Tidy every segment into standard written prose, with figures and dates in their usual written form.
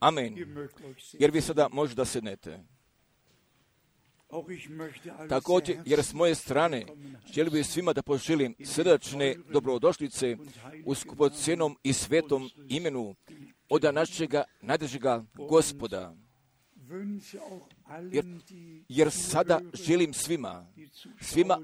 Amen. Jer vi sada možete da sednete. Također, jer s moje strane želim bih svima da poželim srdačne dobrodošlice u skupocjenom i svetom imenu od našega najdražega Gospoda. Jer sada želim svima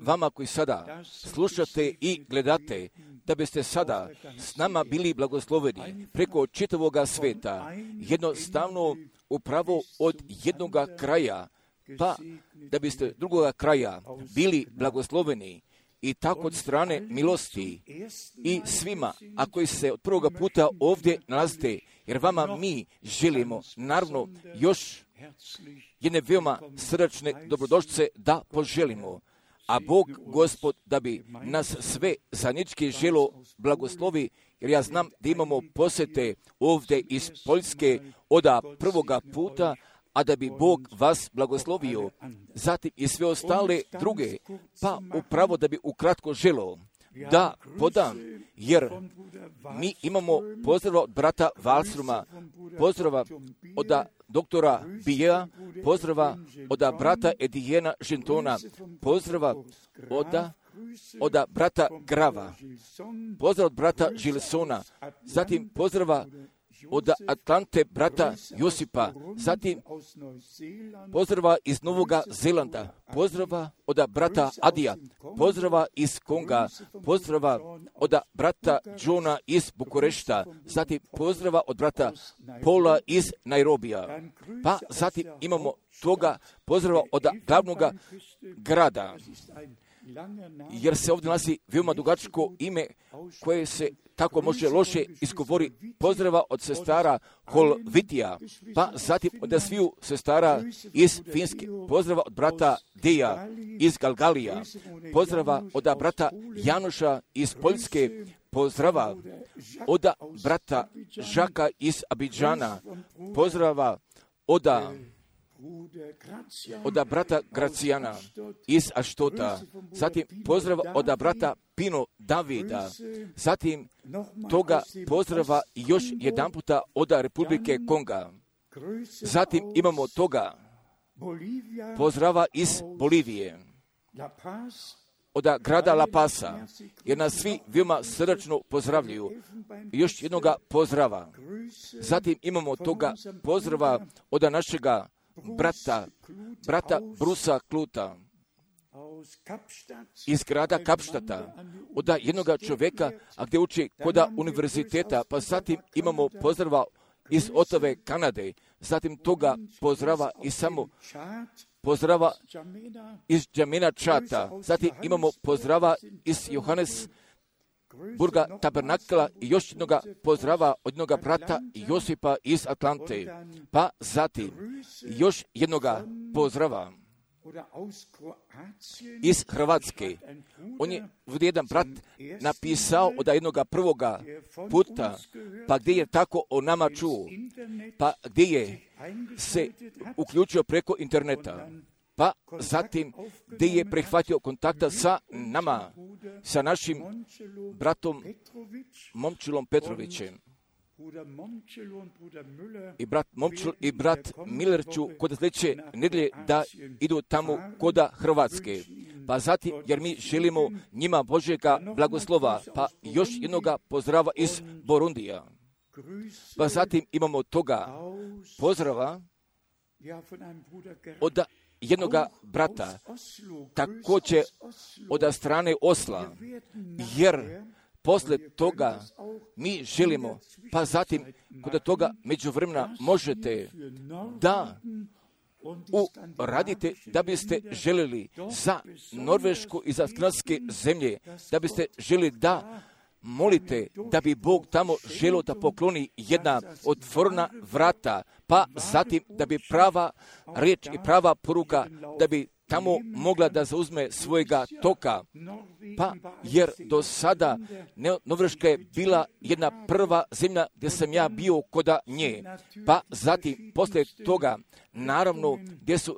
vama koji sada slušate i gledate, da biste sada s nama bili blagosloveni preko čitavoga sveta, jednostavno upravo od jednoga kraja, pa da biste drugoga kraja bili blagosloveni i tako od strane milosti i svima, a koji se od prvoga puta ovdje nalazite, jer vama mi želimo, naravno, još jedne veoma srdačne dobrodošlice da poželimo. A Bog, Gospod, da bi nas sve zajednički želo blagoslovi, jer ja znam da imamo posjete ovdje iz Poljske od prvoga puta, a da bi Bog vas blagoslovio, zatim i sve ostale druge, pa upravo da bi ukratko želo da podam, jer mi imamo pozdrava od brata Valstruma, pozdrava od doktora Bijea, pozdrava od brata Edijena Žentona, pozdrava od brata Grava, pozdrava od brata Gilsona, zatim pozdrava od Atlante brata Josipa, zatim pozdrava iz Novoga Zelanda, pozdrava od brata Adija, pozdrava iz Konga, pozdrava od brata Johna iz Bukurešta, zatim pozdrava od brata Paula iz Nairobija, pa zatim imamo toga pozdrava od glavnog grada, jer se ovdje nalazi veoma dugačko ime koje se tako može loše izgovori, pozdrava od sestara Holvitija, pa zatim od sviju sestara iz Finske, pozdrava od brata Deja iz Galgalija, pozdrava od brata Januša iz Poljske, pozdrava od brata Žaka iz Abidžana, pozdrava od brata Gracijana iz Aštota, zatim pozdrava od brata Pino Davida, zatim toga pozdrava još jedan puta od Republike Konga, zatim imamo toga pozdrava iz Bolivije, od grada La Pasa, jer nas svi veoma srdačno pozdravljaju. Još jednoga pozdrava. Zatim imamo toga pozdrava od našega brata Brusa Kluta iz grada Kapštata, od jednoga čovjeka, a gdje uči kod univerziteta, pa zatim imamo pozdrava iz Otave, Kanade, zatim toga pozdrava i samo pozdrava iz Džamena Čata, zatim imamo pozdrava iz Johannesburga Tabernakla i još jednoga pozdrava od jednoga brata Josipa iz Atlante, pa zatim još jednoga pozdrava iz Hrvatske. On je jedan brat napisao od jednoga prvoga puta, pa gdje je tako o nama čuo, pa gdje je se uključio preko interneta, pa zatim gdje je prihvatio kontakta sa nama, sa našim bratom Momčilom Petrovićem. I brat Momčil i brat Miller ću kod sljedeće nedjelje da idu tamo kod Hrvatske. Pa zatim, jer mi želimo njima Božjega blagoslova, pa još jednoga pozdrava iz Borundija. Pa zatim imamo toga pozdrava od jednoga brata, također od strane Osla, jer posle toga mi želimo, pa zatim kod toga međuvremena možete da radite da biste željeli za Norvešku i za skandinavske zemlje, da biste željeli da molite da bi Bog tamo želio da pokloni jedna otvorena vrata, pa zatim da bi prava riječ i prava poruka, da bi tamo mogla da zauzme svojega toka, pa jer do sada Norveška je bila jedna prva zemlja gdje sam ja bio kod nje, pa zatim poslije toga naravno gdje su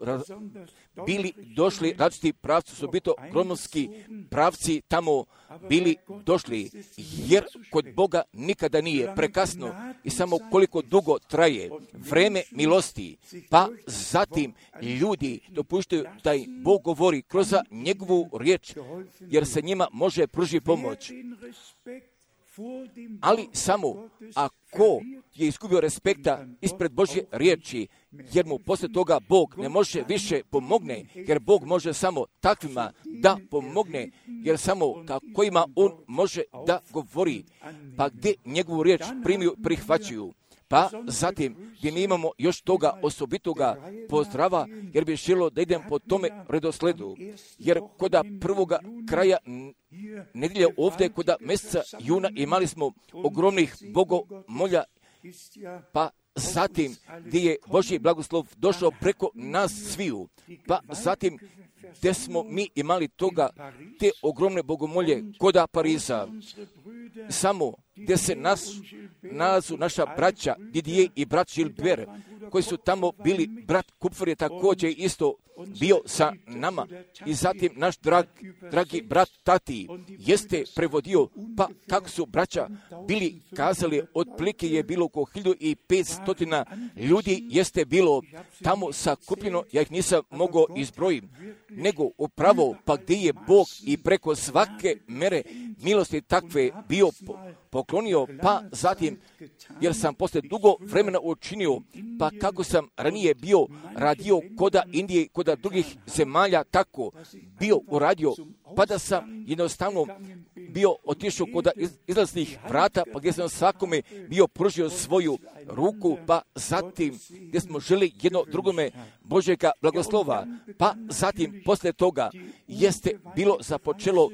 bili došli različiti pravci, su bito gromovski pravci tamo bili došli, jer kod Boga nikada nije prekasno i samo koliko dugo traje vreme milosti, pa zatim ljudi dopuštaju da im Bog govori kroz njegovu riječ, jer se njima može pružiti pomoć. Ali samo ako je izgubio respekta ispred Božje riječi, jer mu poslije toga Bog ne može više pomogne, jer Bog može samo takvima da pomogne, jer samo takvima on može da govori, pa gdje njegovu riječ prihvaćaju. Pa zatim gdje mi imamo još toga osobitoga pozdrava, jer bi želio da idem po tome redosledu, jer koda prvoga kraja nedjelje ovdje, koda mjeseca juna imali smo ogromnih bogomolja, pa zatim gdje je Božji blagoslov došao preko nas sviju, pa zatim gdje smo mi imali toga, te ogromne bogomolje koda Pariza, samo gdje se nalazu naša braća Didier i brat Gilbert, koji su tamo bili, brat Kupfer je također isto bio sa nama, i zatim naš dragi brat Tati jeste prevodio, pa kako su braća bili kazali, otprilike je bilo oko 1500 ljudi jeste bilo tamo sakupljeno, ja ih nisam mogao izbrojiti, nego upravo pa gdje je Bog i preko svake mere milosti takve bio poklonio, pa zatim, jer sam poslije dugo vremena učinio, pa kako sam ranije bio radio koda Indije, koda drugih zemalja, tako bio uradio, pa da sam jednostavno bio otišao koda izlaznih vrata, pa gdje sam svakome bio pružio svoju ruku, pa zatim gdje smo želi jedno drugome Božjega blagoslova, pa zatim poslije toga jeste bilo započelo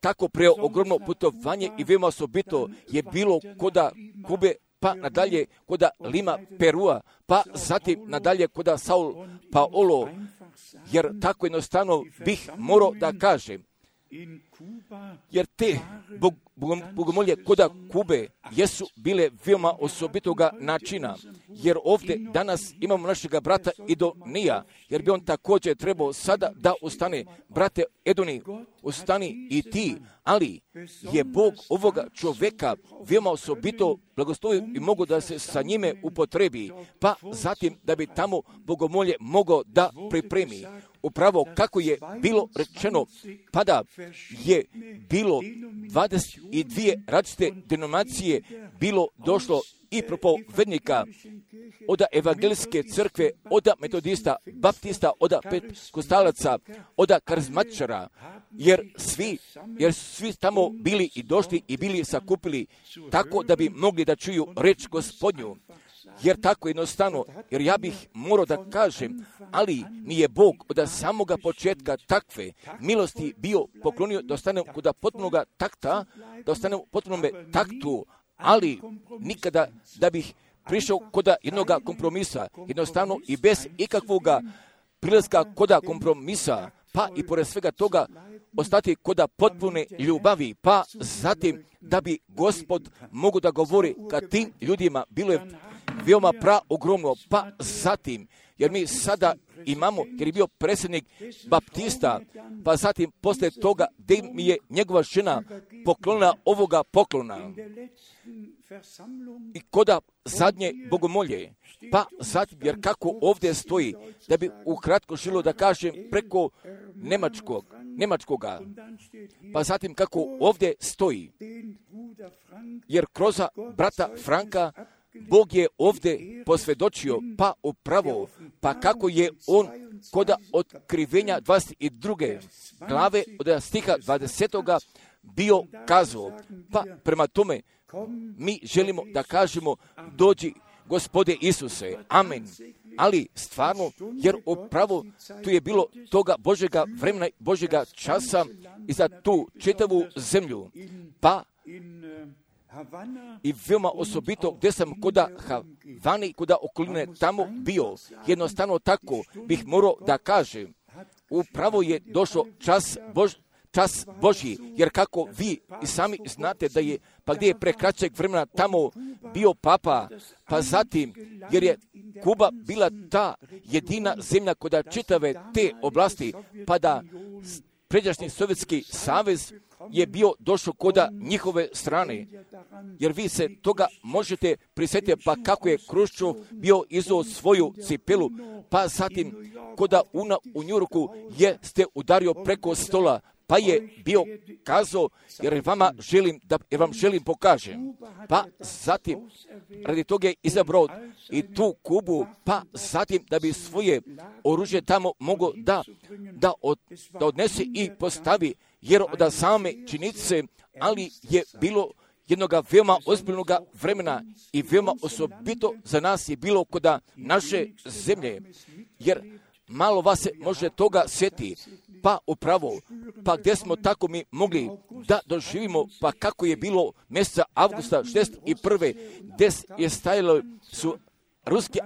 tako preogromno putovanje i veoma osobito je bilo koda Kube, pa nadalje koda Lima, Perua, pa zatim nadalje koda Sao Paulo, jer tako jednostavno bih morao da kažem, jer te bogomolje koda Kube jesu bile veoma osobitoga načina, jer ovdje danas imamo našega brata Idonija, jer bi on također trebao sada da ustane. Brate Edoni, ustani i ti, ali je Bog ovoga čovjeka veoma osobito blagoslovio i mogu da se sa njime upotrebi, pa zatim da bi tamo bogomolje mogao da pripremi. Upravo kako je bilo rečeno, pa da je bilo 22 različite denominacije bilo došlo i propovednika od evangelijske crkve, od metodista, baptista, od pentekostalaca, od karizmatičara, jer svi tamo bili i došli i bili sakupili tako da bi mogli da čuju reč Gospodnju. Jer tako jednostavno, jer ja bih morao da kažem, ali nije Bog od samoga početka takve milosti bio poklonio da ostane kod potpunoga takta, da ostane u potpunome taktu, ali nikada da bih prišao kod jednoga kompromisa, jednostavno i bez ikakvoga prilaska kod kompromisa, pa i pored svega toga ostati kod potpune ljubavi, pa zatim da bi Gospod mogu da govori kad tim ljudima bilo je veoma ogromno, pa zatim, jer mi sada imamo, jer je bio predsjednik baptista, pa zatim poslije toga gdje mi je njegova žena poklonila ovoga poklona i koda zadnje bogomolje, pa zatim, jer kako ovdje stoji, da bi ukratko želio da kažem preko Njemačkoga, pa zatim kako ovdje stoji, jer kroz brata Franka Bog je ovdje posvjedočio, pa upravo, pa kako je on koda otkrivenja 22. glave od stiha 20. bio kazao, pa prema tome mi želimo da kažemo dođi Gospode Isuse, amen. Ali stvarno, jer upravo tu je bilo toga Božjega vremena, Božjega časa i za tu čitavu zemlju, pa i veoma osobito gdje sam koda Havani, koda okoline tamo bio, jednostavno tako bih morao da kažem, upravo je došao čas Božji, jer kako vi i sami znate da je, pa gdje je prekraćeg vremena tamo bio papa, pa zatim, jer je Kuba bila ta jedina zemlja koja čitave te oblasti, pa da pređašnji Sovjetski savez je bio došao koda njihove strane. Jer vi se toga možete prisjetiti, pa kako je Hruščov bio izuo svoju cipelu, pa zatim koda u Njujorku ste udario preko stola, pa je bio kazao, jer vam želim pokažem. Pa zatim, radi toga je izabrao i tu Kubu, pa zatim da bi svoje oružje tamo mogao da odnese i postavi, jer od same činjenice, ali je bilo jednoga veoma ozbiljnog vremena i veoma osobito za nas je bilo kod naše zemlje, jer malo vas se može toga sjeti, pa upravo, pa gdje smo tako mi mogli da doživimo, pa kako je bilo mjeseca avgusta 61. gdje je stajalo su ruski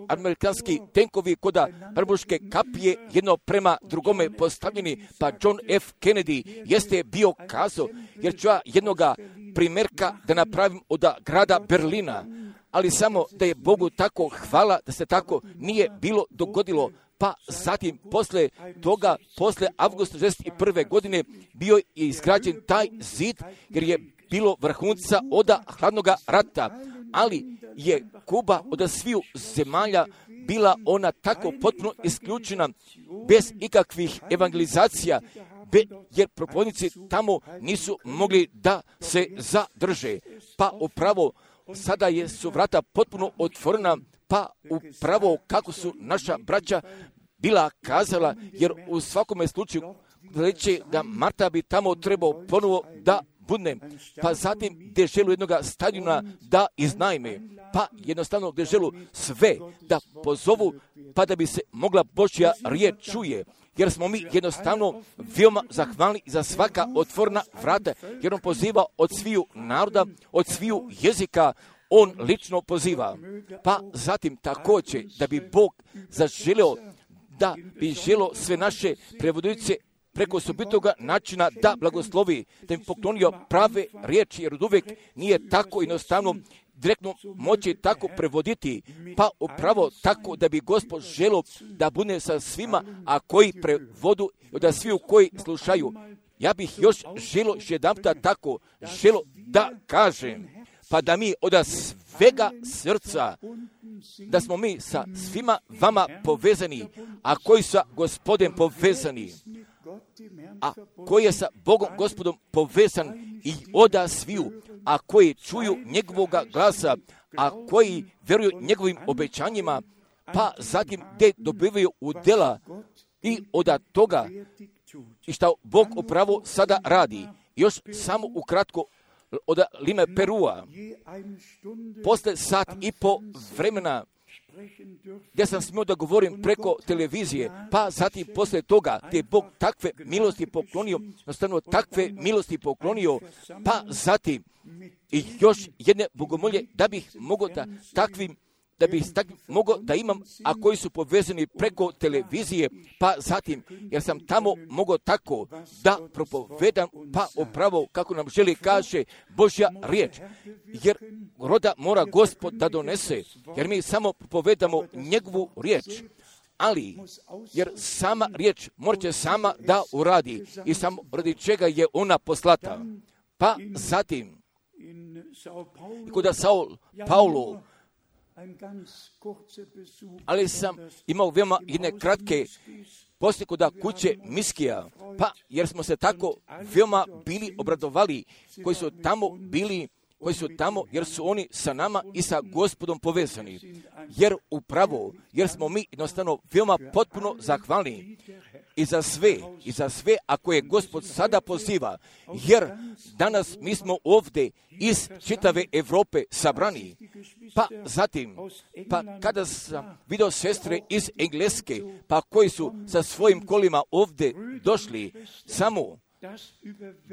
amerikanski tenkovi koda prbuške kapije jedno prema drugome postavljeni, pa John F. Kennedy jeste bio kazao, jer ću ja jednoga primjerka da napravim od grada Berlina, ali samo da je Bogu tako hvala da se tako nije bilo dogodilo. Pa zatim, posle toga, posle avgusta 1961. godine, bio je izgrađen taj zid, jer je bilo vrhunca od hladnog rata, ali je Kuba od sviju zemalja bila ona tako potpuno isključena, bez ikakvih evangelizacija, jer propovjednici tamo nisu mogli da se zadrže. Pa upravo, sada su vrata potpuno otvorena, pa upravo kako su naša braća bila kazala, jer u svakome slučaju reći da Marta bi tamo trebao ponovo da budne, pa zatim gdje želu jednog stadiona da iznajme, pa jednostavno gdje želu sve da pozovu, pa da bi se mogla Božja riječ čuje, jer smo mi jednostavno veoma zahvalni za svaka otvorena vrata, jer on poziva od sviju naroda, od sviju jezika, on lično poziva. Pa zatim također da bi Bog zaželio, da bi želio sve naše prevodioce preko osobitoga načina da blagoslovi, da im poklonio prave riječi, jer od uvijek nije tako jednostavno direktno moći tako prevoditi, pa upravo tako da bi Gospod želio da bude sa svima, a koji prevodu, da sviju koji slušaju. Ja bih još želio jedanputa tako želio da kažem, pa da mi od svega srca, da smo mi sa svima vama povezani, a koji sa Gospodem povezani, a koji je sa Bogom Gospodom povezan i od sviju, a koji čuju njegovoga glasa, a koji vjeruju njegovim obećanjima, pa zatim gdje dobivaju udjela i od toga i što Bog upravo sada radi. Još samo ukratko od Lime Perua, posle sat i po vremena gdje sam smio da govorim preko televizije, pa zatim posle toga gdje je Bog takve milosti poklonio, jednostavno takve milosti poklonio, pa zatim i još jedne bogomolje da bih mogao mogao da imam, a koji su povezani preko televizije, pa zatim, jer sam tamo mogao tako da propovedam, pa upravo kako nam želi kaže Božja riječ, jer roda mora Gospod da donese, jer mi samo propovedamo njegovu riječ, ali, jer sama riječ morat će sama da uradi i samo radi čega je ona poslata. Pa zatim, kod Paulo, ali sam imao veoma jedne kratke posle kod kuće Miskija, pa jer smo se tako veoma bili obradovali koji su tamo, jer su oni sa nama i sa Gospodom povezani. Jer smo mi jednostavno veoma potpuno zahvalni i za sve ako je Gospod sada poziva, jer danas mi smo ovdje iz čitave Europe sabrani. Pa zatim, kada sam vidio sestre iz Engleske, pa koji su sa svojim kolima ovdje došli, samo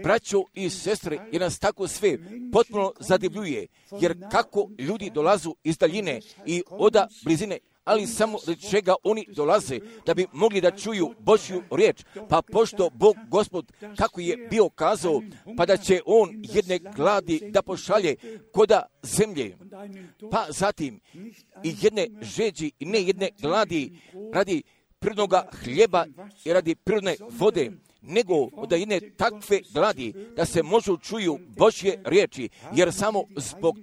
braćo i sestre, jer nas tako sve potpuno zadivljuje, jer kako ljudi dolazu iz daljine i od blizine, ali samo radi čega oni dolaze, da bi mogli da čuju Božju riječ. Pa pošto Bog Gospod, kako je bio kazao, pa da će on jedne gladi da pošalje koda zemlje, pa zatim i jedne žeđi i ne jedne gladi radi prirodnoga hljeba i radi prirodne vode, nego da jedne takve gladi da se možu čuju Božje riječi, jer samo zbog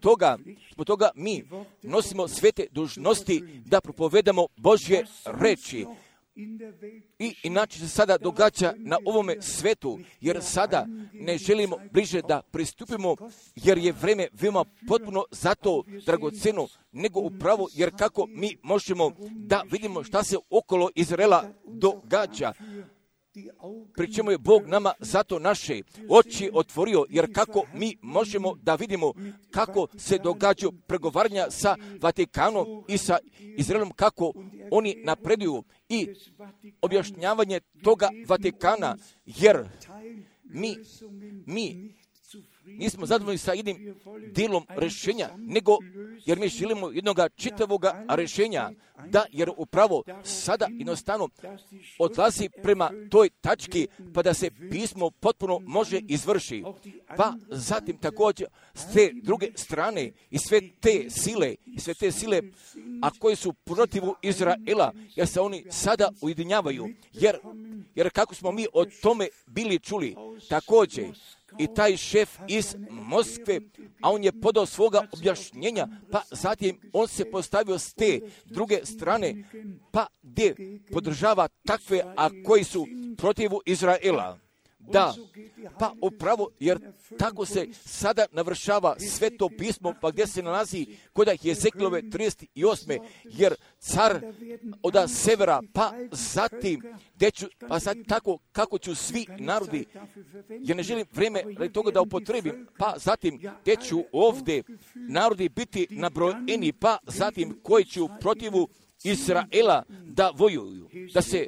toga mi nosimo svete dužnosti da propovedamo Božje riječi. I inače se sada događa na ovome svetu, jer sada ne želimo bliže da pristupimo, jer je vreme veoma potpuno zato dragoceno, nego upravo, jer kako mi možemo da vidimo šta se okolo Izraela događa, pri čemu je Bog nama zato naše oči otvorio, jer kako mi možemo da vidimo kako se događaju pregovaranja sa Vatikanom i sa Izraelom, kako oni napreduju i objašnjavanje toga Vatikana, jer mi nismo zadovoljni sa jednim dijelom rješenja, nego jer mi želimo jednog čitavoga rješenja, da jer upravo sada jednostavno odlazi prema toj tački, pa da se pismo potpuno može izvrši. Pa zatim također s te druge strane i sve te sile, a koje su protivu Izraela, jer se oni sada ujedinjavaju, jer kako smo mi o tome bili čuli, također i taj šef iz Moskve, a on je podao svoga objašnjenja, pa zatim on se postavio s te druge strane, pa gdje podržava takve, a koji su protivu Izraela. Da, pa upravo, jer tako se sada navršava Sveto pismo, pa gdje se nalazi kod Jezekilove 38. jer car od severa, pa zatim, pa sad tako kako ću svi narodi, jer ne želim vrijeme radi toga da upotrebim, pa zatim gdje ću ovdje narodi biti nabrojeni, pa zatim koji ću protivu Izraela da vojuju, da se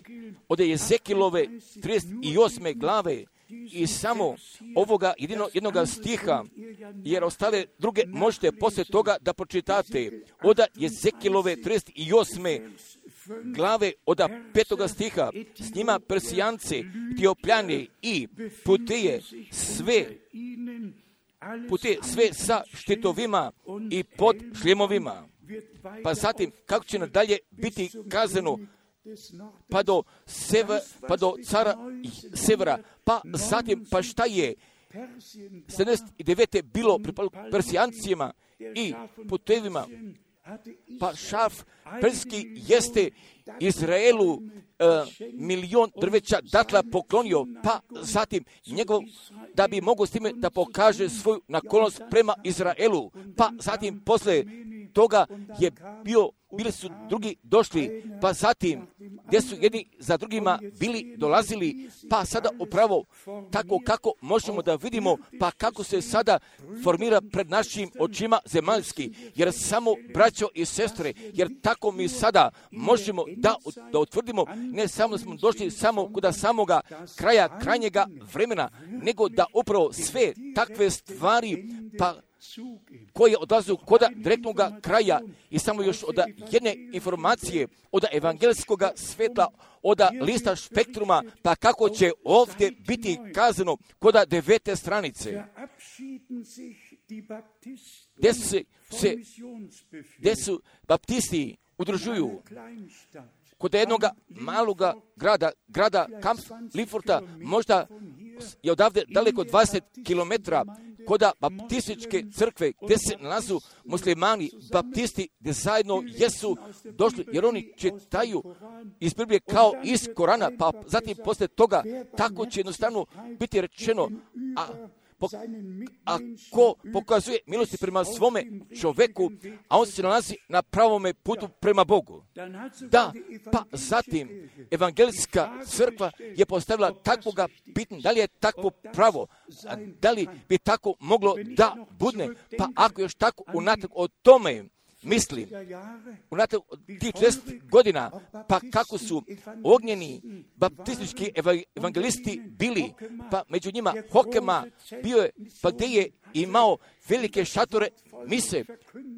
od Jezekilove 38. glave i samo ovoga jednog stiha, jer ostale druge možete poslije toga da pročitate, od Jezekilove 38. glave od 5. stiha, s njima Persijance, Etiopljane i Puteje sve sa štitovima i pod šljemovima. Pa zatim, kako će nadalje biti kazano, pa do cara severa, pa zatim, pa šta je 79. bilo pri Persijancima i Putevima, pa šaf perski jeste Izraelu 1.000.000 drveća datla poklonio, pa zatim njegov, da bi mogao s time da pokaže svoju naklonost prema Izraelu, pa zatim posle toga je bili su drugi došli, pa zatim gdje su jedni za drugima bili dolazili, pa sada upravo tako kako možemo da vidimo, pa kako se sada formira pred našim očima zemaljski, jer samo braćo i sestre, jer tako mi sada možemo da utvrdimo, ne samo da smo došli samo kod samoga kraja, krajnjega vremena, nego da upravo sve takve stvari, pa koje odlazu kod direktnog kraja i samo još od jedne informacije, od evangelskog svetla, od lista Spektruma, pa kako će ovdje biti kazano kod 9. stranice, gdje su baptisti udružuju kod jednog maloga grada Kamp Lifforta, možda je odavde daleko 20 km, kod baptističke crkve, gdje se nalazu muslimani, baptisti, gdje zajedno jesu došli, jer oni čitaju iz Biblije kao iz Korana, pa zatim poslije toga tako će jednostavno biti rečeno, a ko pokazuje milosti prema svome čoveku, a on se nalazi na pravome putu prema Bogu. Da, pa zatim evangelijska crkva je postavila takvoga pitanja, da li je takvo pravo, da li bi tako moglo da budne, pa ako još tako unatrag o tome mislim, unatrag tih 40 godina, pa kako su ognjeni baptistički evangelisti bili, pa među njima Hokema bio je, pa gdje je imao velike šatore mise,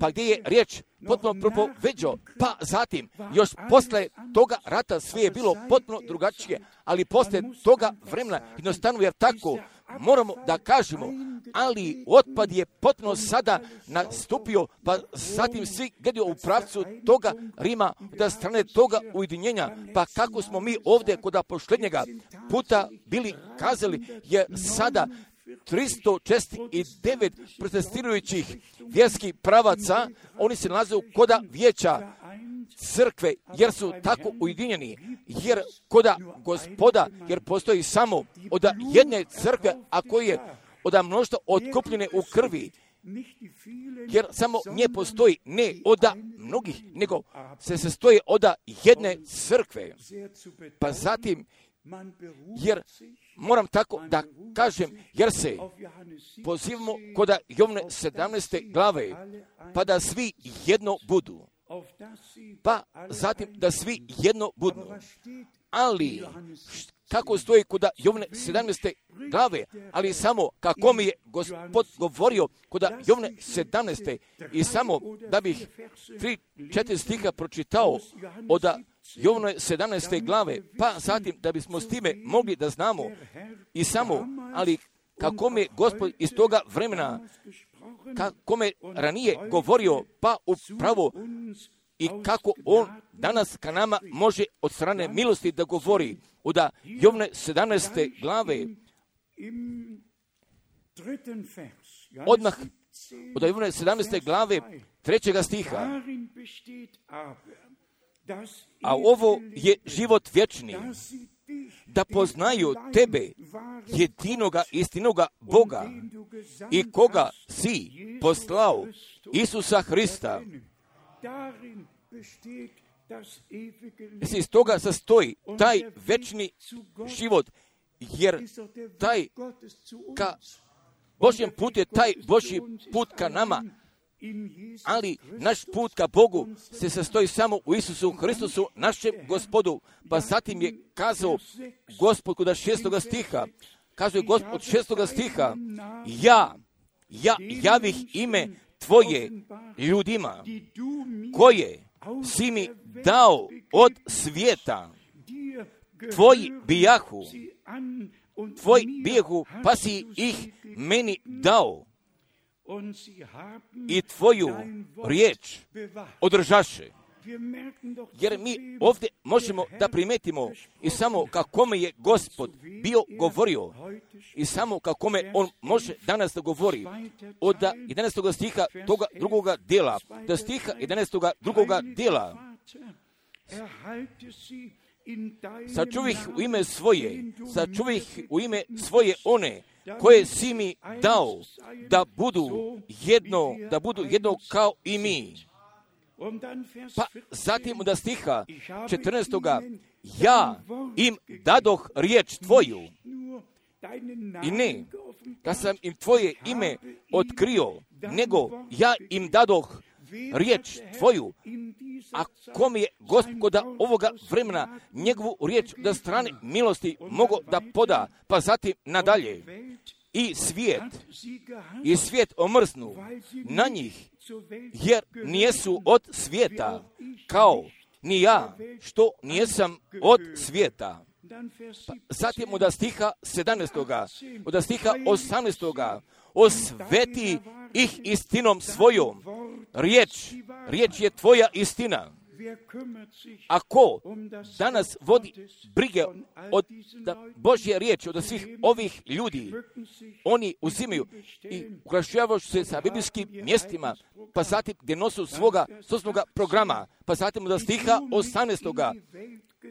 pa gdje je riječ potpuno propoveđao, pa zatim još posle toga rata sve je bilo potpuno drugačije, ali posle toga vremena jednostavno, jer tako moramo da kažemo, ali otpad je potpuno sada nastupio, pa zatim svi gledaju u pravcu toga Rima, da strane toga ujedinjenja, pa kako smo mi ovdje kod posljednjega puta bili kazali, je sada 349 protestirajućih vjerskih pravaca, oni se nalaze koda vijeća crkve, jer su tako ujedinjeni, jer koda Gospoda, jer postoji samo od jedne crkve, a koji je od mnoštva otkupljene u krvi, jer samo nje postoji ne od mnogih, nego se sastoji od jedne crkve. Pa zatim, jer moram tako da kažem, jer se pozivamo kod Jovne 17. glave, pa da svi jedno budu. Pa zatim da svi jedno budu. Ali, kako stoji kod Jovne 17. glave, ali samo kako mi je Gospod govorio kod Jovne 17. I samo da bih 3-4 stiha pročitao od Jovne 17. glave, pa zatim da bismo s time mogli da znamo i samo, ali kako mi je Gospod iz toga vremena, kako me ranije govorio, pa upravo i kako on danas ka nama može od strane milosti da govori od Jovne 17. glave, odmah od Jovne 17. glave 3. stiha. A ovo je život vječni, da poznaju tebe, jedinoga istinoga Boga i koga si poslao, Isusa Hrista. Iz toga sastoji taj večni život, jer taj ka Božjem put je taj Božji put ka nama, ali naš put ka Bogu se sastoji samo u Isusu Hristusu, našem Gospodu. Pa zatim je kazao Gospod kod 6. stiha, kazuje Gospod od 6. stiha, ja javih ime Tvoje ljudima, koje si mi dao od svijeta, Tvoji bijahu, pa si ih meni dao i Tvoju riječ održaše. Jer mi ovdje možemo da primetimo i samo kako me je Gospod bio govorio i samo kako me on može danas da govori od 11. stiha toga drugoga dijela, do stiha 11. drugoga dijela. Sačuvih u ime svoje, sačuvih u ime svoje one koje si mi dao da budu jedno kao i mi. Pa zatim od stiha 14. ja im dadoh riječ Tvoju i ne da sam im Tvoje ime otkrio, nego ja im dadoh riječ Tvoju, a kom je Gospoda ovoga vremena njegovu riječ da strane milosti mogo da poda, pa zatim nadalje. I svijet omrznu na njih, jer nijesu od svijeta, kao ni ja, što nijesam od svijeta. Pa zatim od stiha 17. od stiha 18. osveti ih istinom svojom. Riječ je Tvoja istina. A ko danas vodi brige od Božje riječi, od svih ovih ljudi, oni uzimaju i ukrašavaju se sa biblijskim mjestima, pa zatim gdje nosu svoga programa, pa zatim od stiha 18.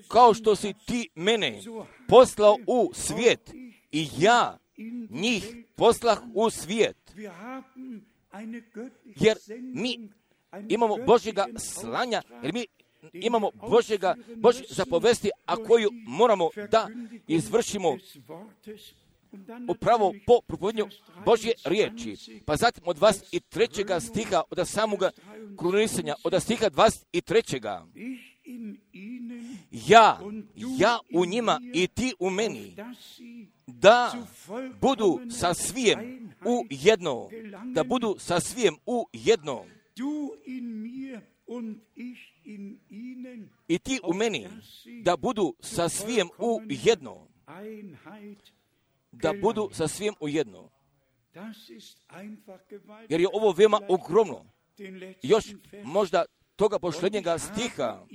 Kao što si ti mene poslao u svijet i ja njih poslah u svijet. Jer mi imamo Božjega slanja, jer mi imamo Božje zapovesti, a koju moramo da izvršimo upravo po propovednju Božje riječi. Pa zatim od 23. stiha, od samoga krunisanja, od stiha 23. Ja u njima i ti u meni, da budu sa svijem u jedno, da budu sa svijem u jedno. I ti u meni, da budu sa svijem u jedno. Da budu sa svijem u jedno. Jer je ovo veoma ogromno. Još možda toga posljednjega stiha.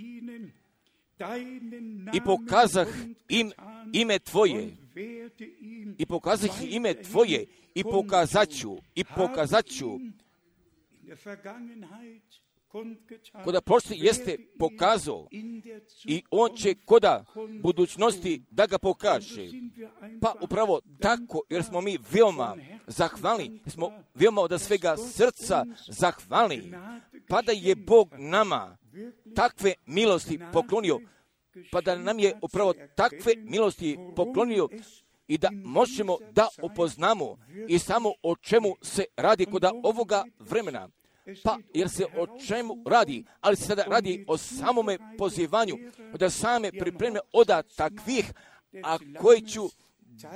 I pokazah im ime Tvoje. I pokazah ime Tvoje. I pokazat ću. Koda prošli jeste pokazao i on će koda budućnosti da ga pokaže. Pa upravo tako, jer smo mi veoma zahvalni, smo veoma od svega srca zahvalni, pa da je Bog nama takve milosti poklonio, pa da nam je upravo takve milosti poklonio i da možemo da upoznamo i samo o čemu se radi koda ovoga vremena. Pa, jer se o čemu radi, ali se sada radi o samome pozivanju, da same pripreme od takvih, a koji ću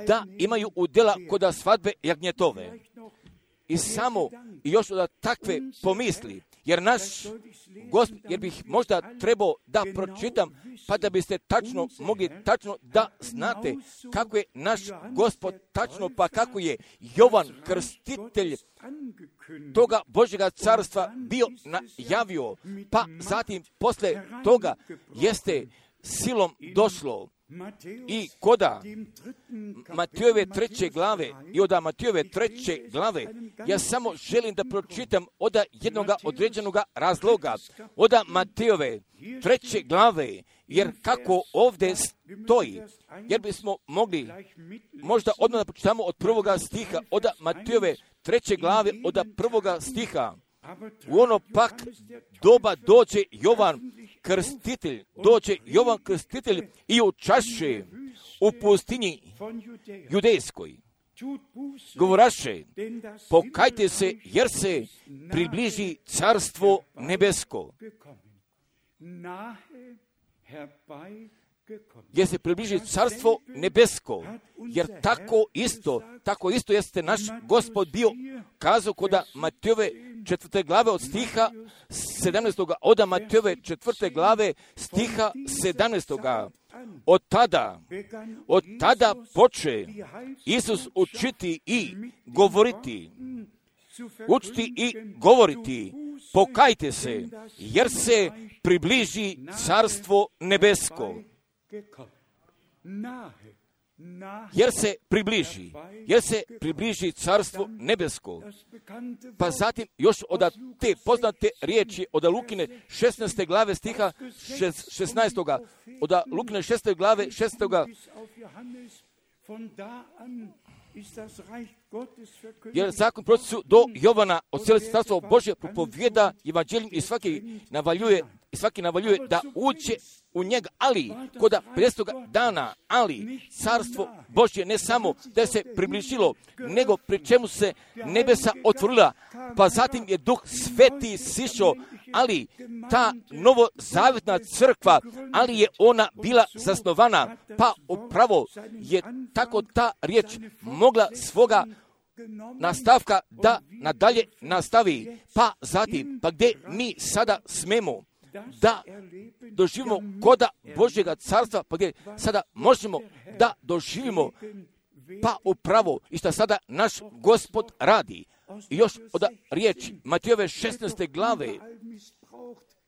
da imaju udjela koda svadbe jagnjetove. I samo još od takve pomisli, jer naš Gospod, jer bih možda trebao da pročitam, pa da biste tačno mogli tačno da znate kako je naš Gospod tačno, pa kako je Jovan Krstitelj toga Božjega carstva bio najavio, pa zatim posle toga jeste silom došlo. I koda Matejove 3. glave i od Matejove 3. glave ja samo želim da pročitam od jednog određenog razloga od Matejove 3. glave, jer kako ovdje stoji, jer bismo mogli možda odmah da pročitamo od 1. stiha od Matejove 3. glave od 1. stiha. U ono pak doba dođe Jovan Krstitelj i učaše u pustinji judejskoj. Govoraše, pokajte se jer se približi carstvo nebesko. Jer se približi carstvo nebesko, jer tako isto jeste naš Gospod bio kazao koda Matejove 4. glave od stiha 17. od Matejove 4. glave stiha 17. Od tada poče Isus učiti i govoriti, pokajte se, jer se približi carstvo nebesko. Jer se približi carstvo nebesko. Pa zatim još od te poznate riječi od Lukine 16. glave stiha 16. Od Lukine 16. glave 16. Jer zakon procesu do Jovana od cijele carstvo Božje propovijeda evanđeljem i svaki navaljuje da uđe u njega, ali koda 50. dana, ali carstvo Božje ne samo da se približilo, nego pri čemu se nebesa otvorila, pa zatim je Duh Sveti sišao, ali ta novozavjetna crkva, ali je ona bila zasnovana, pa upravo je tako ta riječ mogla svoga nastavka da nadalje nastavi, pa zatim, pa gdje mi sada smemo da doživimo koda Božjega carstva, pa gdje sada možemo da doživimo, pa upravo i što sada naš Gospod radi. I još od riječi Matejove 16. glave,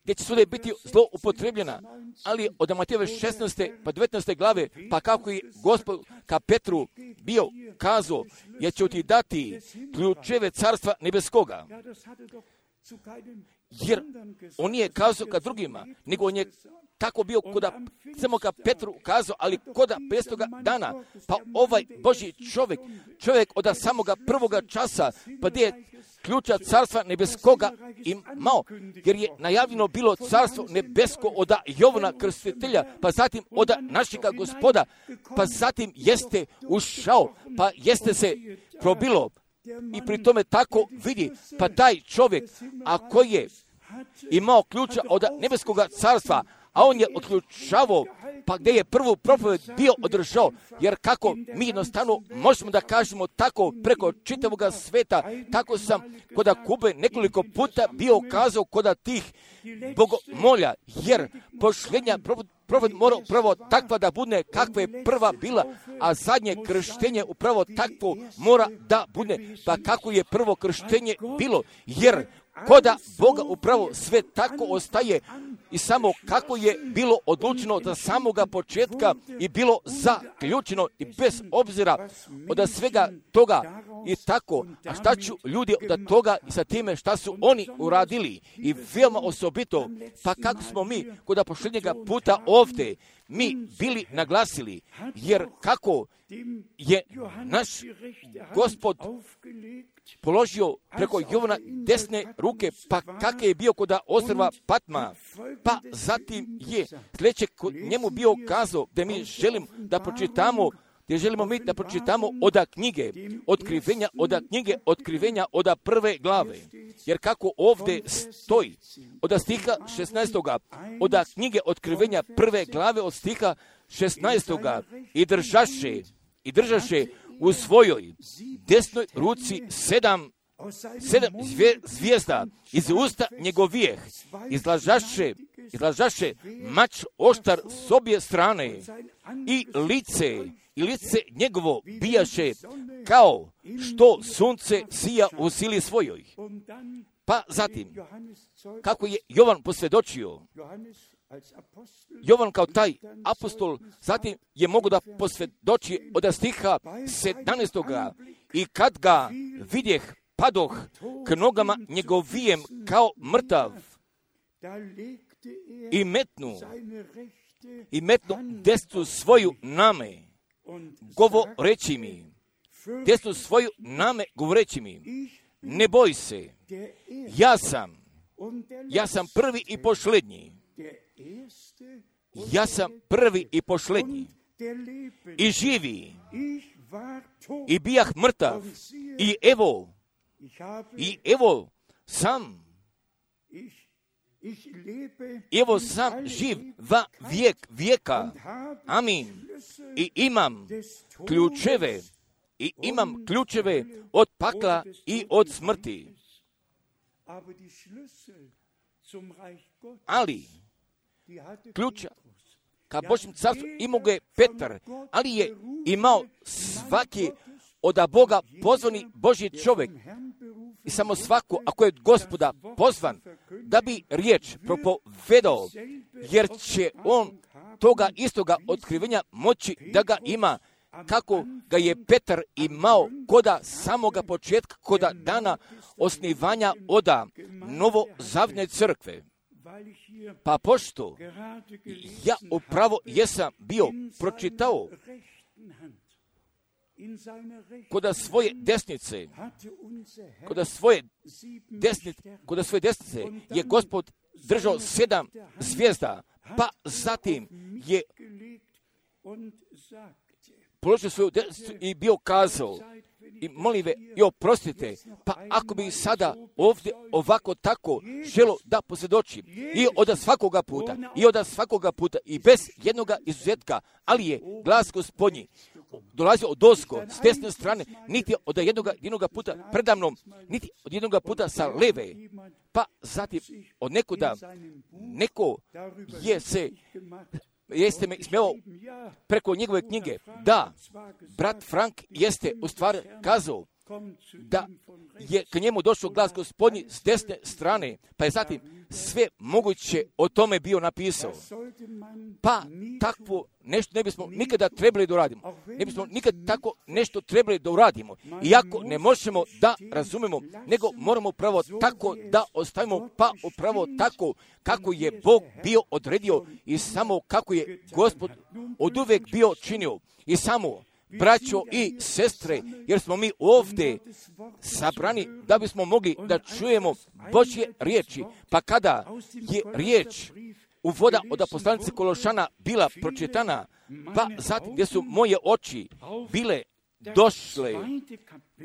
gdje će svode biti zlo upotrebljena, ali od Matejove 16. pa 19. glave, pa kako je Gospod ka Petru bio kazao, jer će ti dati ključeve carstva nebeskoga. Jer on nije kazao ka drugima, nego on je tako bio koda samo ka Petru kazao, ali koda 50. dana, pa ovaj Božji čovjek od samoga prvoga časa, pa gdje je ključa carstva nebeskoga imao, jer je najavljeno bilo carstvo nebesko od Jovana Krstitelja, pa zatim od našega Gospoda, pa zatim jeste ušao, pa jeste se probilo. I pri tome tako vidi, pa taj čovjek, ako je imao ključa od nebeskoga carstva, a on je otključavao pa gdje je prvu propoved bio održao, jer kako mi jednostavno možemo da kažemo tako preko čitavoga sveta, tako sam kod Kube nekoliko puta bio kazao kod tih bogomolja, jer posljednja propoved mora upravo takva da bude kakva je prva bila, a zadnje krštenje upravo takvo mora da bude, pa kako je prvo krštenje bilo, jer koda Boga upravo sve tako ostaje i samo kako je bilo odlučeno od samoga početka i bilo zaključeno i bez obzira od svega toga i tako. A šta ću ljudi od toga i sa time šta su oni uradili i veoma osobito, pa kako smo mi kod posljednjega puta ovdje mi bili naglasili, jer kako je naš Gospod položio preko Jovana desne ruke, pa kakav je bio kod ostrva Patma, pa zatim je sljedeće njemu bio kazao da mi želim da pročitamo, gdje želimo mi da pročitamo od knjige Otkrivenja od prve glave. Jer kako ovdje stoji, od stiha 16. od knjige Otkrivenja prve glave od stiha 16. i držaše u svojoj desnoj ruci sedam zvijezda iz usta njegovijeh, izlažaše mač oštar s obje strane i lice njegovo bijaše kao što sunce sija u sili svojoj. Pa zatim, kako je Jovan posvjedočio, Jovan kao taj apostol zatim je mogu da posvjedoči od stiha 17. I kad ga vidjeh, padoh k nogama njegovijem kao mrtav i metnu desnu svoju name, govoreći mi, ne boj se, ja sam prvi i posljednji. Ja sam prvi i posljednji i živi i bijah mrtav i evo sam živ va vijek vijeka. Amin. I imam ključeve od pakla i od smrti. Ali ključa ka Božjem carstvu imao ga je Petar, ali je imao svaki od Boga pozvani Božji čovjek i samo svako, ako je Gospoda pozvan da bi riječ propovedao, jer će on toga istoga otkrivenja moći da ga ima, kako ga je Petar imao koda samoga početka, koda dana osnivanja oda novozavjetne crkve. Pa pošto ja upravo jesam bio pročitao koda svoje desnice je Gospod držao 7 zvijezda, pa zatim je položio svoju desnicu i bio kazao, i molim ve, i oprostite, pa ako bi sada ovdje ovako tako želo da posvjedočim i od svakoga puta i bez jednoga izuzetka, ali je glas Gospodnji dolazio od ozgo s desne strane, niti od jednoga puta predamnom, niti od jednoga puta sa leve, pa zatim od neko jeste me ismijao preko njegove knjige. Da, brat Frank jeste u stvari kazao da je k njemu došao glas Gospodnji s desne strane, pa je zatim sve moguće o tome bio napisao. Pa takvo nešto ne bismo nikada trebali da uradimo. Ne bismo nikad tako nešto trebali da uradimo. Iako ne možemo da razumemo, nego moramo upravo tako da ostavimo, pa upravo tako kako je Bog bio odredio i samo kako je Gospod oduvek bio činio. I samo, braćo i sestre, jer smo mi ovdje sabrani da bismo mogli da čujemo Božje riječi, pa kada je riječ uvoda od poslanice Kološana bila pročitana, pa zatim gdje su moje oči bile došle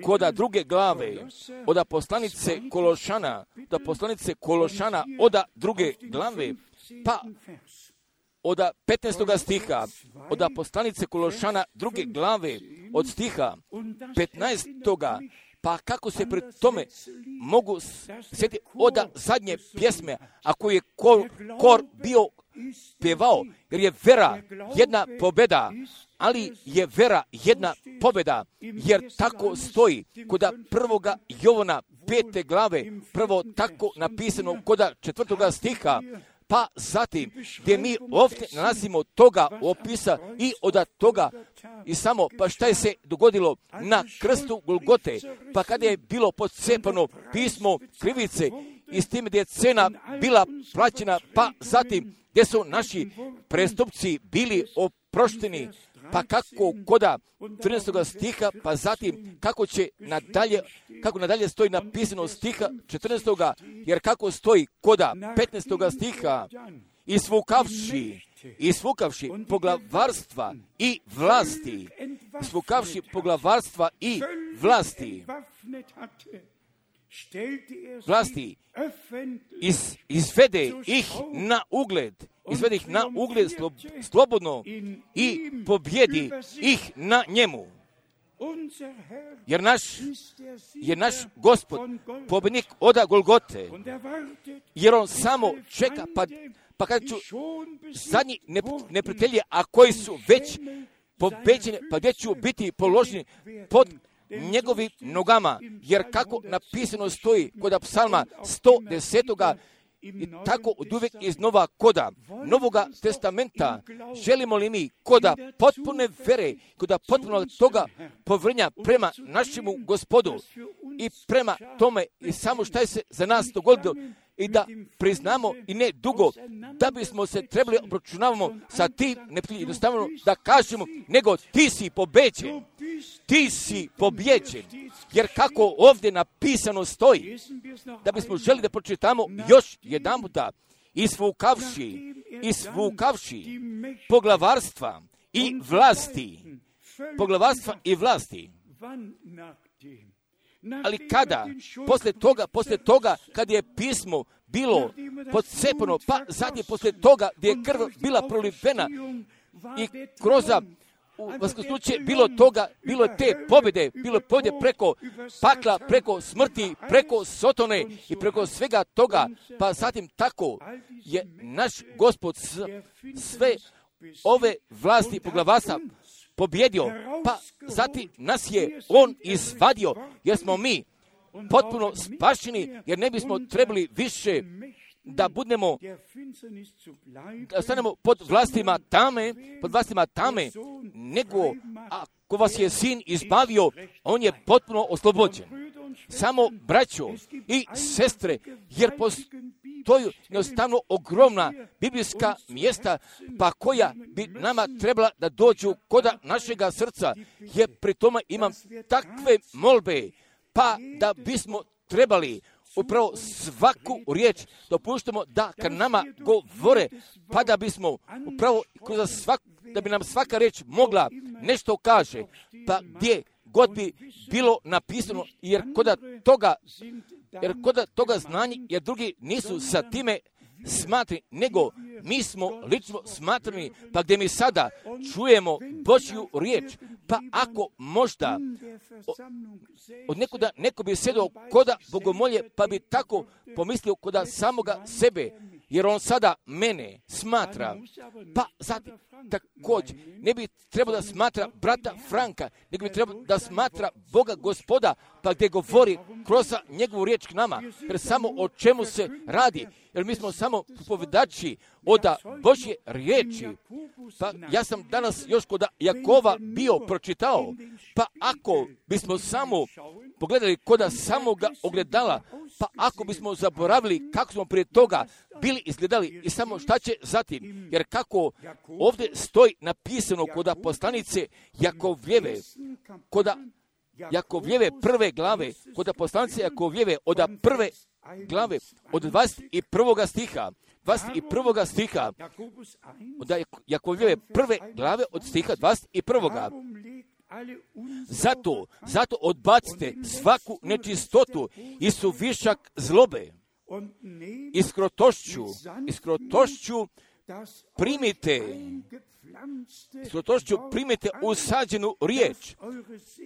koda druge glave od poslanice Kološana, od druge glave, pa od 15. stiha, od poslanice Kološana 2. glave, od stiha 15. Pa kako se pred tome mogu sjetiti od zadnje pjesme, ako je kor bio pjevao, jer je vera jedna pobjeda, ali je vera jedna pobjeda, jer tako stoji kod 1. Jovana 5. glave, prvo tako napisano kod 4. stiha, pa zatim gdje mi ovdje nalazimo toga opisa i od toga i samo pa šta je se dogodilo na krstu Golgote, pa kada je bilo podcepano pismo krivice i s tim gdje je cena bila plaćena, pa zatim gdje su naši prestupci bili oprošteni, pa kako koda 13. stiha, pa zatim kako nadalje stoji napisano stiha 14. jer kako stoji koda 15. stiha, isvukavši poglavarstva i vlasti, izvede ih na ugled slobodno i pobjedi ih na njemu. Jer naš Gospod pobjednik od Golgote, jer on samo čeka, pa kad ću zadnji neprijatelji, a koji su već pobeđeni, pa gdje ću biti položeni pod njegovim nogama, jer kako napisano stoji kod psalma 110. i tako od uvijek iznova koda Novoga testamenta, želimo li mi koda potpune vere, koda potpuno toga povjerenja prema našemu Gospodu i prema tome i samo šta je se za nas dogodilo i da priznamo i ne dugo da bismo se trebali obračunavamo sa tim, ne jednostavno da kažemo, nego ti si pobijeđen, jer kako ovdje napisano stoji, da bismo želi da pročitamo još jedan puta, isvukavši poglavarstva i vlasti. Ali kada, poslije toga, kad je pismo bilo podcepano, pa zatim poslije toga gdje je krv bila prolivena i kroz vaskrsnuće bilo te pobjede, bilo pobjede preko pakla, preko smrti, preko sotone i preko svega toga, pa zatim tako je naš Gospod sve ove vlasti poglavarstva pobjedio, pa zatim nas je on izvadio, jer smo mi potpuno spašeni, jer ne bismo trebali više da budemo, da stanemo pod vlastima tame, nego ako vas je sin izbavio, on je potpuno oslobođen. Samo braćo i sestre, jer postoji jednostavno ogromna biblijska mjesta, pa koja bi nama trebala da dođu koda našega srca, jer pri tome imam takve molbe, pa da bismo trebali upravo svaku riječ dopuštamo da kad nama govore, pa da bismo upravo da bi nam svaka riječ mogla nešto kaže, pa gdje god bi bilo napisano, jer kod toga znanja, jer drugi nisu sa time smatrani, nego mi smo lično smatrani, pa gdje mi sada čujemo Božju riječ, pa ako možda od nekuda neko bi sjedao koda bogomolje, pa bi tako pomislio koda samoga sebe, jer on sada mene smatra, pa zatim također ne bi trebao da smatra brata Franka, nego bi trebao da smatra Boga Gospoda, pa gdje govori kroz njegovu riječ k nama, jer samo o čemu se radi, jer mi smo samo propovjedači od Božje riječi. Pa ja sam danas još kod Jakova bio pročitao, pa ako bismo samo pogledali kod samoga ogledala, pa ako bismo zaboravili kako smo prije toga bili izgledali i samo šta će zatim, jer kako ovdje stoji napisano kod poslanice Jakovljeve prve glave, kod poslanice Jakovljeve od prve glave, od 21. stiha, od Jakovljeve prve glave od stiha 21. Zato odbacite svaku nečistotu i suvišak zlobe, iskrotošću primite, primite usađenu riječ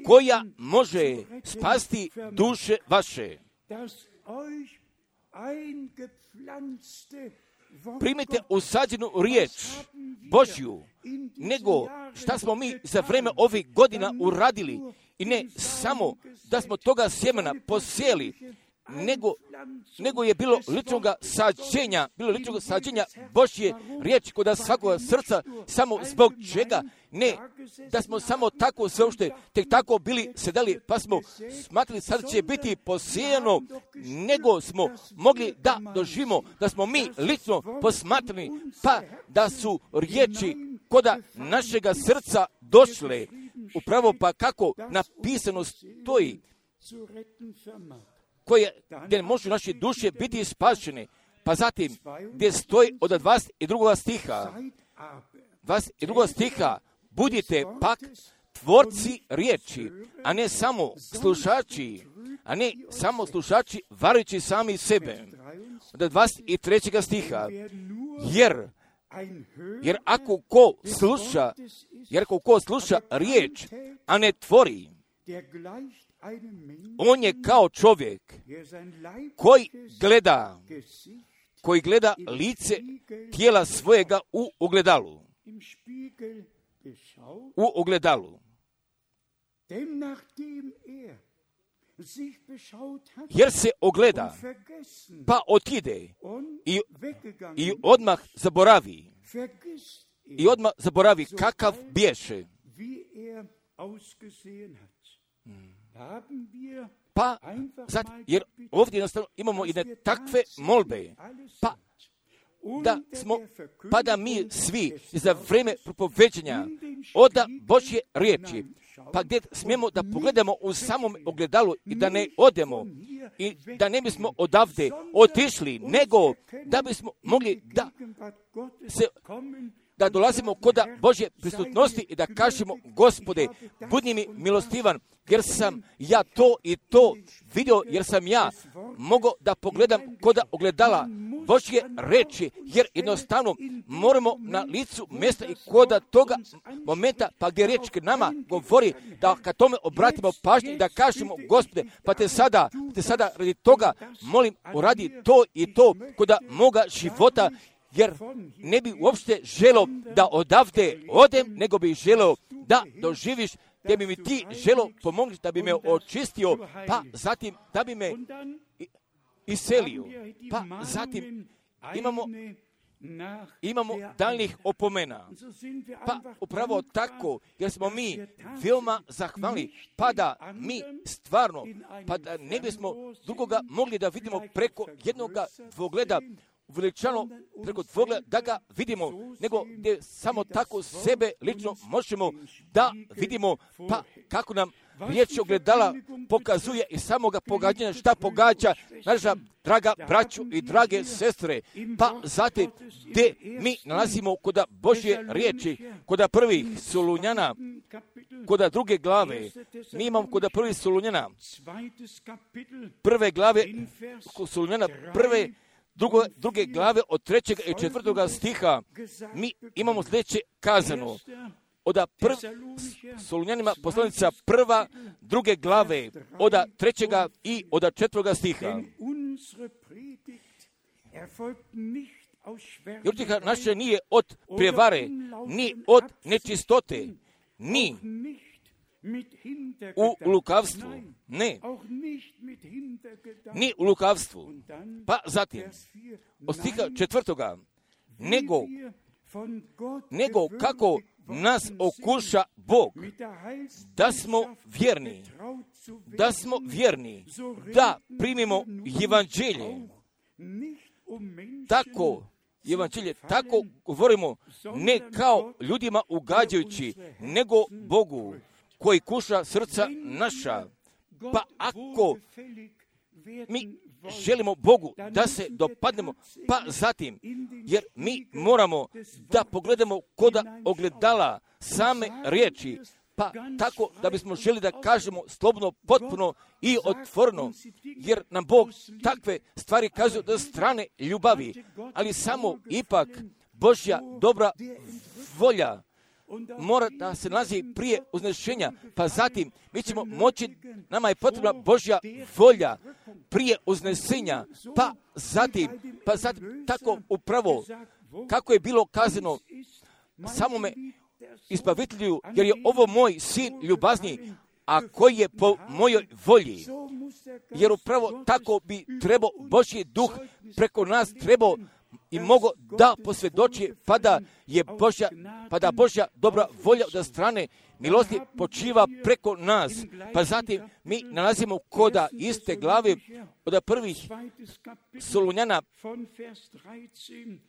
koja može spasti duše vaše. Primite usađenu riječ Božju, nego šta smo mi za vreme ovih godina uradili i ne samo da smo toga sjemena posijeli, nego je bilo ličnog sađenja Božje riječi kod svakoga srca, samo zbog čega ne, da smo samo tako sveopšte, tek tako bili sedeli, pa smo smatrali sad će biti posijano, nego smo mogli da doživimo, da smo mi lično posmatrali, pa da su riječi koda našega srca došle, upravo pa kako napisano stoji, gdje može naše duše biti spašene. Pa zatim, gdje stoji od 22. stiha, budite pak tvorci riječi, a ne samo slušači, varujući sami sebe. Od 23. stiha, jer ako ko sluša riječ, a ne tvori, on je kao čovjek koji gleda lice tijela svojega u ogledalu. Jer se ogleda, pa otide i odmah zaboravi kakav bješe. Pa, jer ovdje jednostavno imamo jedne takve molbe, da mi svi za vrijeme propoveđenja oda Božje riječi, pa gdje smijemo da pogledamo u samom ogledalu i da ne odemo i da ne bismo odavde otišli, nego da bismo mogli da dolazimo kod Božje prisutnosti i da kažemo, Gospode, budi mi milostivan, jer sam ja to i to vidio, jer sam ja mogao da pogledam kod ogledala Božje reči, jer jednostavno moramo na licu mjesta i kod toga momenta, pa gdje riječ k nama govori, da kad tome obratimo pažnju i da kažemo, Gospode, pa te sada radi toga molim, uradi to i to kod moga života, jer ne bi uopšte želeo da odavde odem, nego bi želeo da doživiš, gdje bi mi ti želeo pomoći, da bi me očistio, pa zatim da bi me iselio. Pa zatim imamo daljnih opomena. Pa upravo tako, jer smo mi veoma zahvalni, pa da mi stvarno, pa da ne bismo drugoga mogli da vidimo preko jednoga dvogleda, uveličano preko dvogleda da ga vidimo, nego gdje samo tako sebe lično možemo da vidimo, pa kako nam riječ ogledala pokazuje i samoga pogađanja šta pogađa naša draga braću i drage sestre, pa zatim gdje mi nalazimo kod Božje riječi, kod prvih Solunjana, kod druge glave, mi imamo kod prvih Solunjana, prve glave Solunjana, druge glave od 3. i 4. stiha, mi imamo sljedeće kazano. Od Solunjanima poslanica 1. 2. glave, od 3. i od 4. stiha. Jer utjeha naša nije od prijevare, ni od nečistote, ni u lukavstvu, ne, ni u lukavstvu. Pa zatim, od stiha 4. nego kako nas okuša Bog, da smo vjerni, da primimo evanđelje. Tako govorimo, ne kao ljudima ugađajući, nego Bogu, koji kuša srca naša. Pa ako mi želimo Bogu da se dopadnemo, pa zatim, jer mi moramo da pogledamo kod ogledala same riječi, pa tako da bismo želi da kažemo slobodno, potpuno i otvoreno, jer nam Bog takve stvari kazuje od strane ljubavi, ali samo ipak Božja dobra volja mora da se nalazi prije uznešenja, pa zatim mi ćemo moći, nama je potrebna Božja volja prije uznesenja, pa zatim tako upravo kako je bilo kazano samome izbavitelju, jer je ovo moj sin ljubazni, a koji je po mojoj volji. Jer upravo tako bi trebao Božji duh preko nas trebao i mogo da posvjedoči, pa da Božja dobra volja od strane milosti počiva preko nas. Pa zatim mi nalazimo koda iste glave od prvih Solunjana,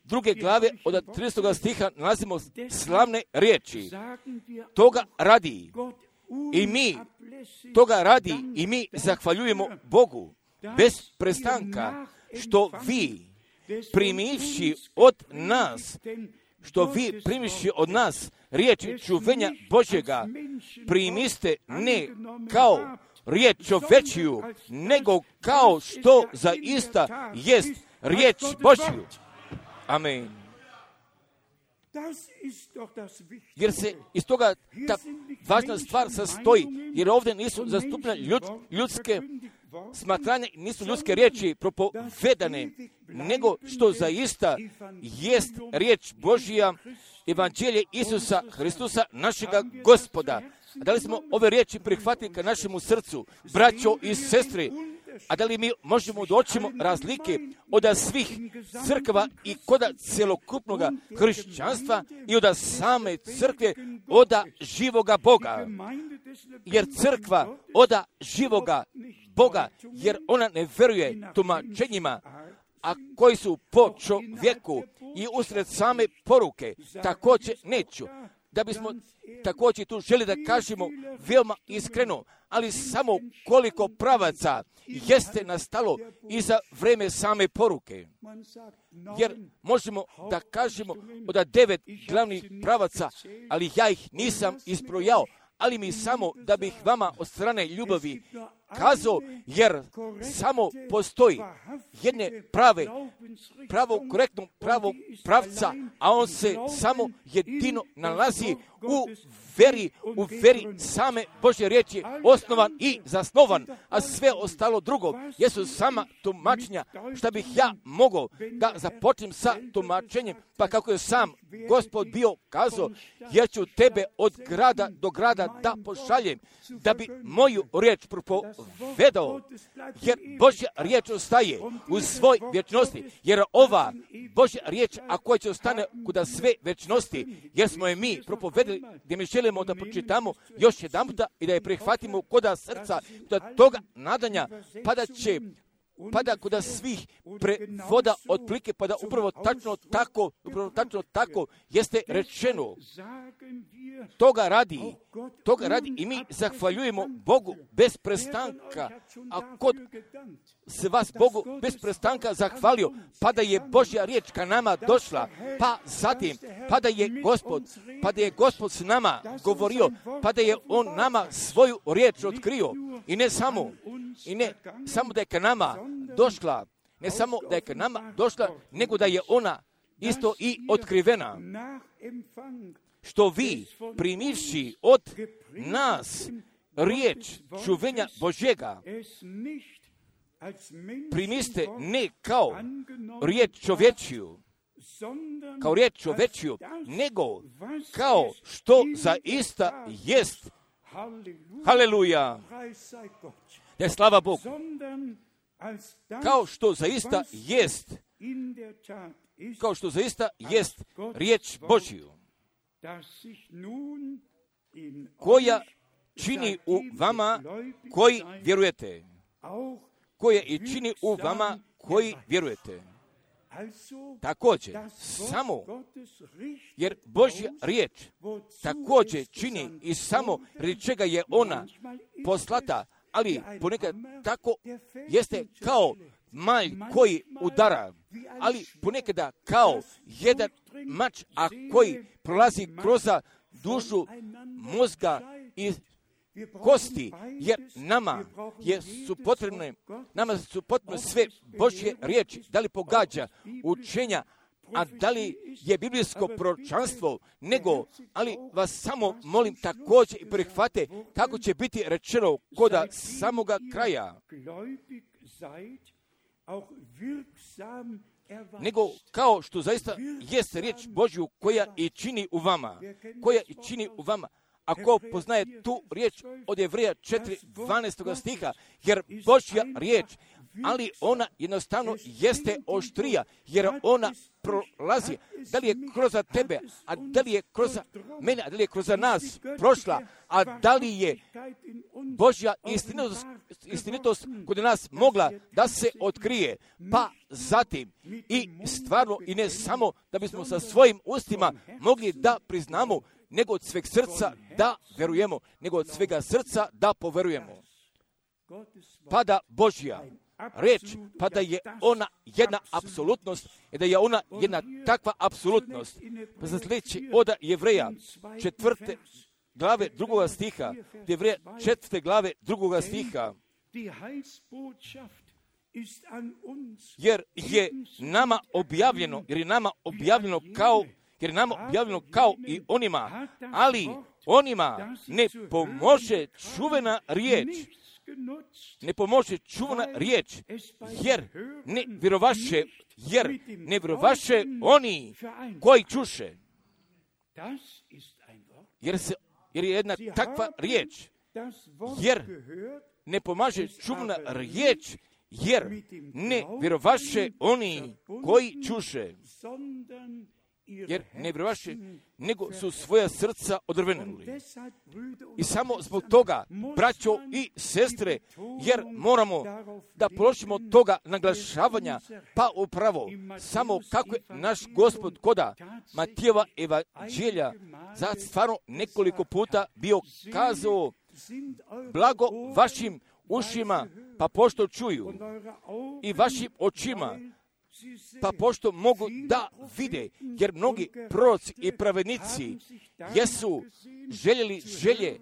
druge glave od 30. stiha nalazimo slavne riječi. Toga radi i mi zahvaljujemo Bogu bez prestanka, što vi primivši od nas riječi čuvenja Božjega, primiste ne kao riječ čovečiju, nego kao što zaista jest riječ Božju. Amen. Jer se iz toga ta važna stvar sastoji, jer ovdje nisu zastupljene ljudske smatranje, nisu ljudske riječi propovedane, nego što zaista jest riječ Božja, evanđelje Isusa Hristusa, našega Gospoda. A da li smo ove riječi prihvatili ka našemu srcu, braćo i sestre? A da li mi možemo doćemo razlike od svih crkva i koda celokupnog hrišćanstva i od same crkve od živoga Boga? Jer crkva od živoga Boga, jer ona ne veruje tumačenjima, a koji su po čovjeku i usred same poruke, također neću. Da bismo također tu želi da kažemo veoma iskreno, ali samo koliko pravaca jeste nastalo i za vreme same poruke. Jer možemo da kažemo od 9 glavnih pravaca, ali ja ih nisam isbrojao, ali mi samo da bih vama od strane ljubavi kazao, jer samo postoji jedne pravog pravca, a on se samo jedino nalazi u veri same Božje riječi, osnovan i zasnovan, a sve ostalo drugo jesu sama tumačenja. Šta bih ja mogao da započnem sa tumačenjem, pa kako je sam Gospod bio kazao, jer ću tebe od grada do grada da pošaljem, da bi moju riječ propovedao, jer Božja riječ ostaje u svoj vječnosti, jer ova Božja riječ, a koja će ostane kuda sve vječnosti, jer smo je mi propovedali, gdje mi želimo da pročitamo još jedanputa i da je prihvatimo koda srca, da toga nadanja pada kuda svih prevoda otplike, pa da upravo tačno tako jeste rečeno. Toga radi i mi zahvaljujemo Bogu bez prestanka. A kod se vas Bogu bez prestanka zahvalio, pa da je Božja riječ ka nama došla, pa zatim, pa da je Gospod s nama govorio, pa da je On nama svoju riječ otkrio. I ne samo da je ka nama došla, nego da je ona isto i otkrivena. Što vi, primivši od nas riječ čuvenja Božjega, primiste ne kao riječ čovječiju, nego kao što zaista jest. Haleluja! Da je slava Bogu. Kao što zaista jest riječ Božju, koja čini u vama koji vjerujete. Također, samo jer Božja riječ također čini i samo radi čega je ona poslata, ali ponekad tako jeste kao malj koji udara, ali ponekada kao jedan mač, a koji prolazi kroz dušu, mozga i kosti, jer nama su potrebne sve Božje riječi, da li pogađa učenja, a da li je biblijsko proročanstvo, nego, ali vas samo molim također i prihvate kako će biti rečeno koda samoga kraja. Nego kao što zaista jest riječ Božju koja i čini u vama, Ako poznaje tu riječ od Jevreja 4:12 stiha, jer Božja riječ, ali ona jednostavno jeste oštrija, jer ona prolazi, da li je kroz tebe, a da li je kroz mene, a da li je kroz nas prošla, a da li je Božja istinitost kod nas mogla da se otkrije, pa zatim i stvarno i ne samo da bismo sa svojim ustima mogli da priznamo, nego od sveg srca da verujemo, nego od svega srca da poverujemo. Pa da Božja reč, pa da je ona jedna apsolutnost i da je ona jedna takva apsolutnost. Pa za sljedeći od Jevreja 4. glave 2. stiha, Jevreja 4. glave 2. stiha, jer je nama objavljeno kao i onima, ali onima ne pomože čuvena riječ, jer ne vjerovaše oni koji čuše. Jer je jedna takva riječ, jer ne pomaže čuvena riječ, jer ne vjerovaše oni koji čuše. Jer ne vjerovaše, nego su svoja srca odrvenuli. I samo zbog toga, braćo i sestre, jer moramo da položimo toga naglašavanja, pa upravo samo kako je naš Gospod koda Matijeva evanđelja za stvarno nekoliko puta bio kazao, blago vašim ušima, pa pošto čuju, i vašim očima, pa pošto mogu da vide, jer mnogi proroci i pravednici jesu želje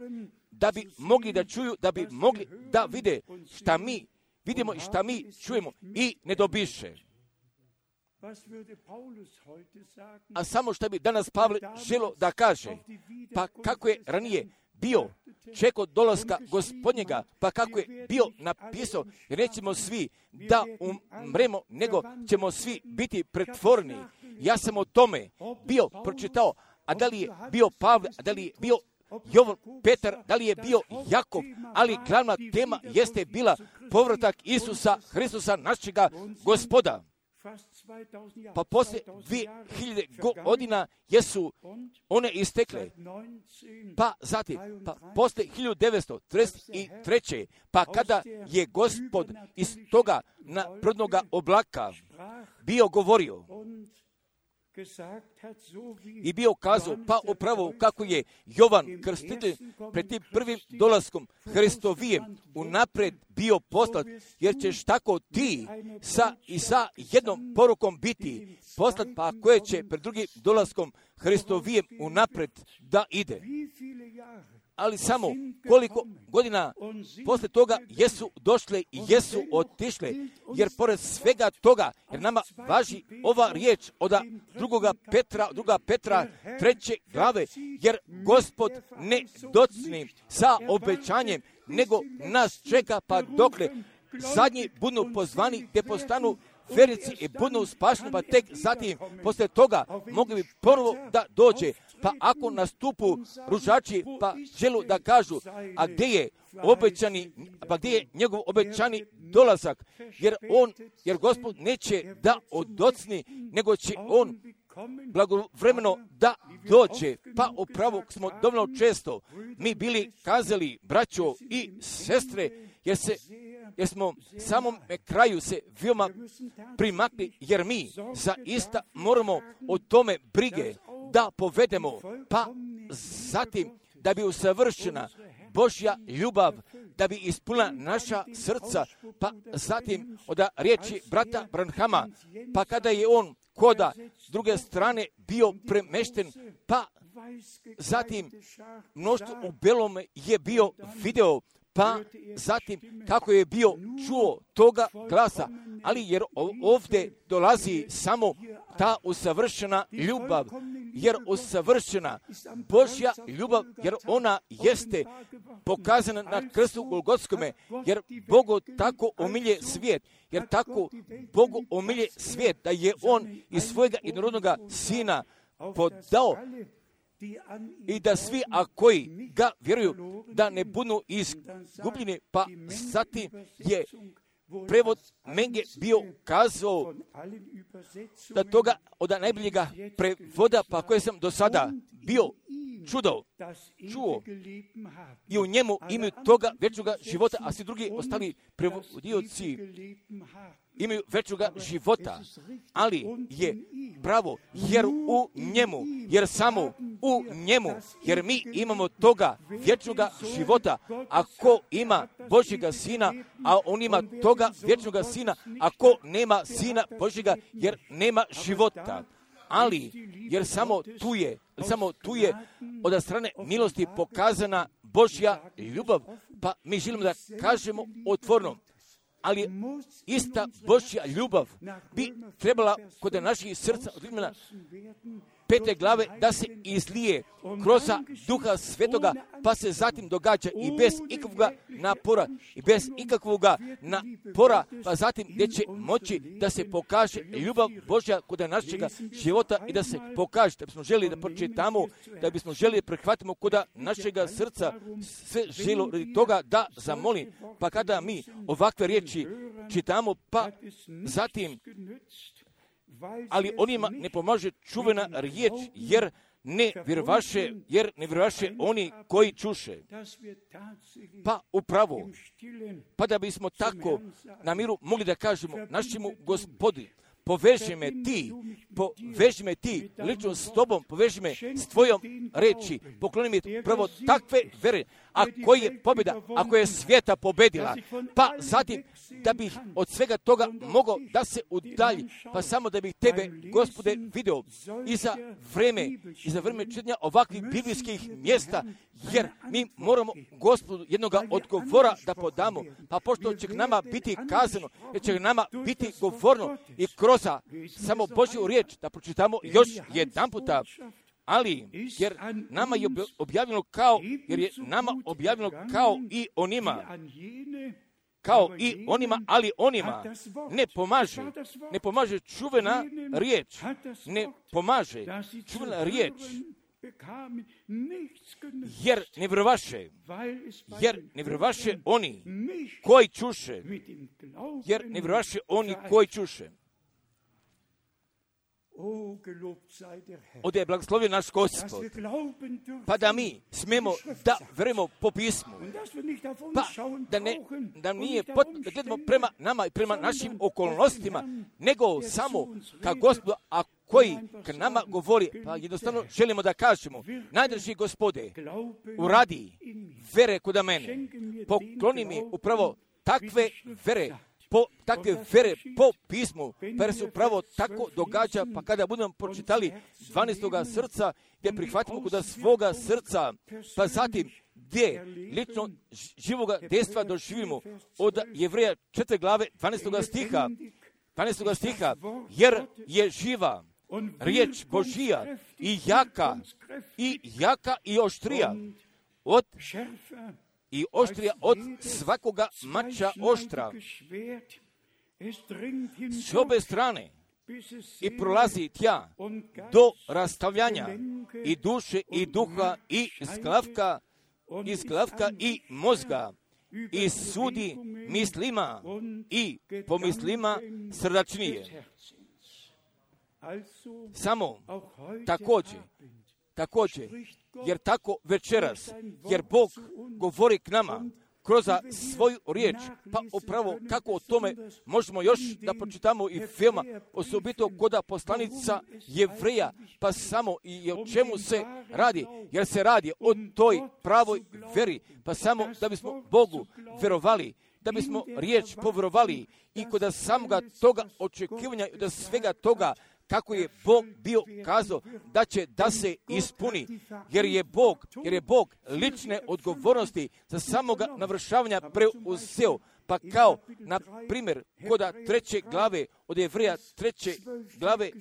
da bi mogli da čuju, da bi mogli da vide šta mi vidimo i šta mi čujemo i ne dobiše. A samo što bi danas Pavle želo da kaže, pa kako je ranije bio čekao dolaska Gospodnjega, pa kako je bio napisao, nećemo svi da umremo, nego ćemo svi biti pretvoreni. Ja sam o tome bio pročitao, a da li je bio Pavle, a da li je bio Jovan, Petar, da li je bio Jakov, ali glavna tema jeste bila povratak Isusa Hristusa, našega Gospoda. Pa poslije 2000 godina jesu one istekle. Pa zatim, poslije 1933. pa kada je Gospod iz toga naprednoga oblaka bio govorio i bio kazao, pa upravo kako je Jovan Krstitelj pred tim prvim dolaskom Hristovijem unaprijed bio poslat, jer ćeš tako ti sa jednom porukom biti poslat, pa koje će pred drugim dolaskom Hristovijem unaprijed da ide. Ali samo koliko godina posle toga jesu došle i jesu otišle, jer pored svega toga, jer nama važi ova riječ od 2. Petra 3. glave, jer Gospod ne docni sa obećanjem, nego nas čeka pa dokle zadnji budu pozvani te postanu vernici i budu spašeni, pa tek zatim posle toga mogli bi ponovo da dođe. Pa ako nastupu ružači, pa želu da kažu, a gdje je obećani, pa gdje je njegov obećani dolazak, jer Gospod neće da odocni, nego će on blagovremeno da dođe. Pa upravo smo dovoljno često mi bili kazali, braćo i sestre, jer smo samom kraju se veoma primakli, jer mi zaista moramo o tome brige da povedemo, pa zatim da bi usavršena Božja ljubav, da bi ispunila naša srca, pa zatim od riječi brata Branhama, pa kada je on koda s druge strane bio premešten, pa zatim mnoštvo u belome je bio video, pa zatim kako je bio čuo toga glasa, ali jer ovdje dolazi samo ta usavršena ljubav, jer usavršena Božja ljubav, jer ona jeste pokazana na krstu Golgotskome, jer Bogu tako omilje svijet, jer tako Bogu omilje svijet, da je On iz svojega jednorodnoga Sina podao i da svi, a koji ga vjeruju, da ne budu izgubljeni. Pa zatim je prevod Menge bio kazao da toga od najboljega prevoda, pa koje sam do sada bio čuo i u njemu imaju toga vječnoga života, a svi drugi ostali prevodioci imaju vječnoga života, ali je pravo, jer u njemu, jer samo u njemu, jer mi imamo toga vječnoga života, ako ima Božjega Sina, a on ima toga vječnoga Sina, ako nema Sina Božjega, jer nema života. Ali, jer samo tu je od strane milosti pokazana Božja ljubav, pa mi želimo da kažemo otvoreno, ali ista Božja ljubav bi trebala kod naših srca od Rimljana 5. glave da se izlije kroz Duha Svetoga, pa se zatim događa i bez ikakvog napora, pa zatim gdje će moći da se pokaže ljubav Božja kod našega života i da se pokaže, da bismo želi da pročitamo, da bismo želi prihvatimo kod našega srca, sve želo radi toga da zamolim, pa kada mi ovakve riječi čitamo, pa zatim ali onima ne pomaže čuvena riječ, jer ne vjerovaše oni koji čuše. Pa upravo, pa da bismo tako na miru mogli da kažemo našemu Gospodi, poveži me ti lično s tobom, poveži me s tvojom reči, pokloni mi prvo takve vere, ako je pobjeda, ako je svijeta pobedila, pa zatim da bih od svega toga mogao da se udalji, pa samo da bih tebe, Gospode, video i za vreme čitanja ovakvih biblijskih mjesta, jer mi moramo Gospodu jednoga odgovora da podamo, pa pošto će nama biti kazano, jer će nama biti govorno i kroz samo Božju riječ da pročitamo još jedan puta, ali jer nama je objavljeno kao i onima, ali onima ne pomaže čuvena riječ, jer ne vjerovaše oni koji čuše, Ode je blagoslovio naš Gospod, pa da mi smemo da verujemo po pismu, pa da nije da gledamo prema nama i prema našim okolnostima, nego samo ka Gospodu, a koji k nama govori, pa jednostavno želimo da kažemo, najdraži Gospode, uradi vere kod mene, pokloni mi upravo takve vere po pismu, pa se upravo tako događa, pa kada budemo pročitali 12. srca, gdje prihvatimo kod svoga srca, pa zatim gdje lično živoga dejstva doživimo od Jevreja 4. glave 12. stiha, jer je živa riječ Božija i jaka i oštrija od svakoga mača oštra s obe strane i prolazi tja do rastavljanja i duše i duha i izglavka i mozga i sudi mislima i pomislima srdačnije. Samo također, jer tako večeras, jer Bog govori k nama kroz svoju riječ, pa upravo kako o tome možemo još da pročitamo i filma, osobito kod poslanica Jevreja, pa samo i o čemu se radi, jer se radi o toj pravoj veri, pa samo da bismo Bogu verovali, da bismo riječ povjerovali i kod samoga toga očekivanja, da svega toga kako je Bog bio kazao da će da se ispuni, jer je Bog lične odgovornosti za samoga navršavanja preuzeo. Pa kao, na primjer, kod 3. glave od Jevreja 3. glave,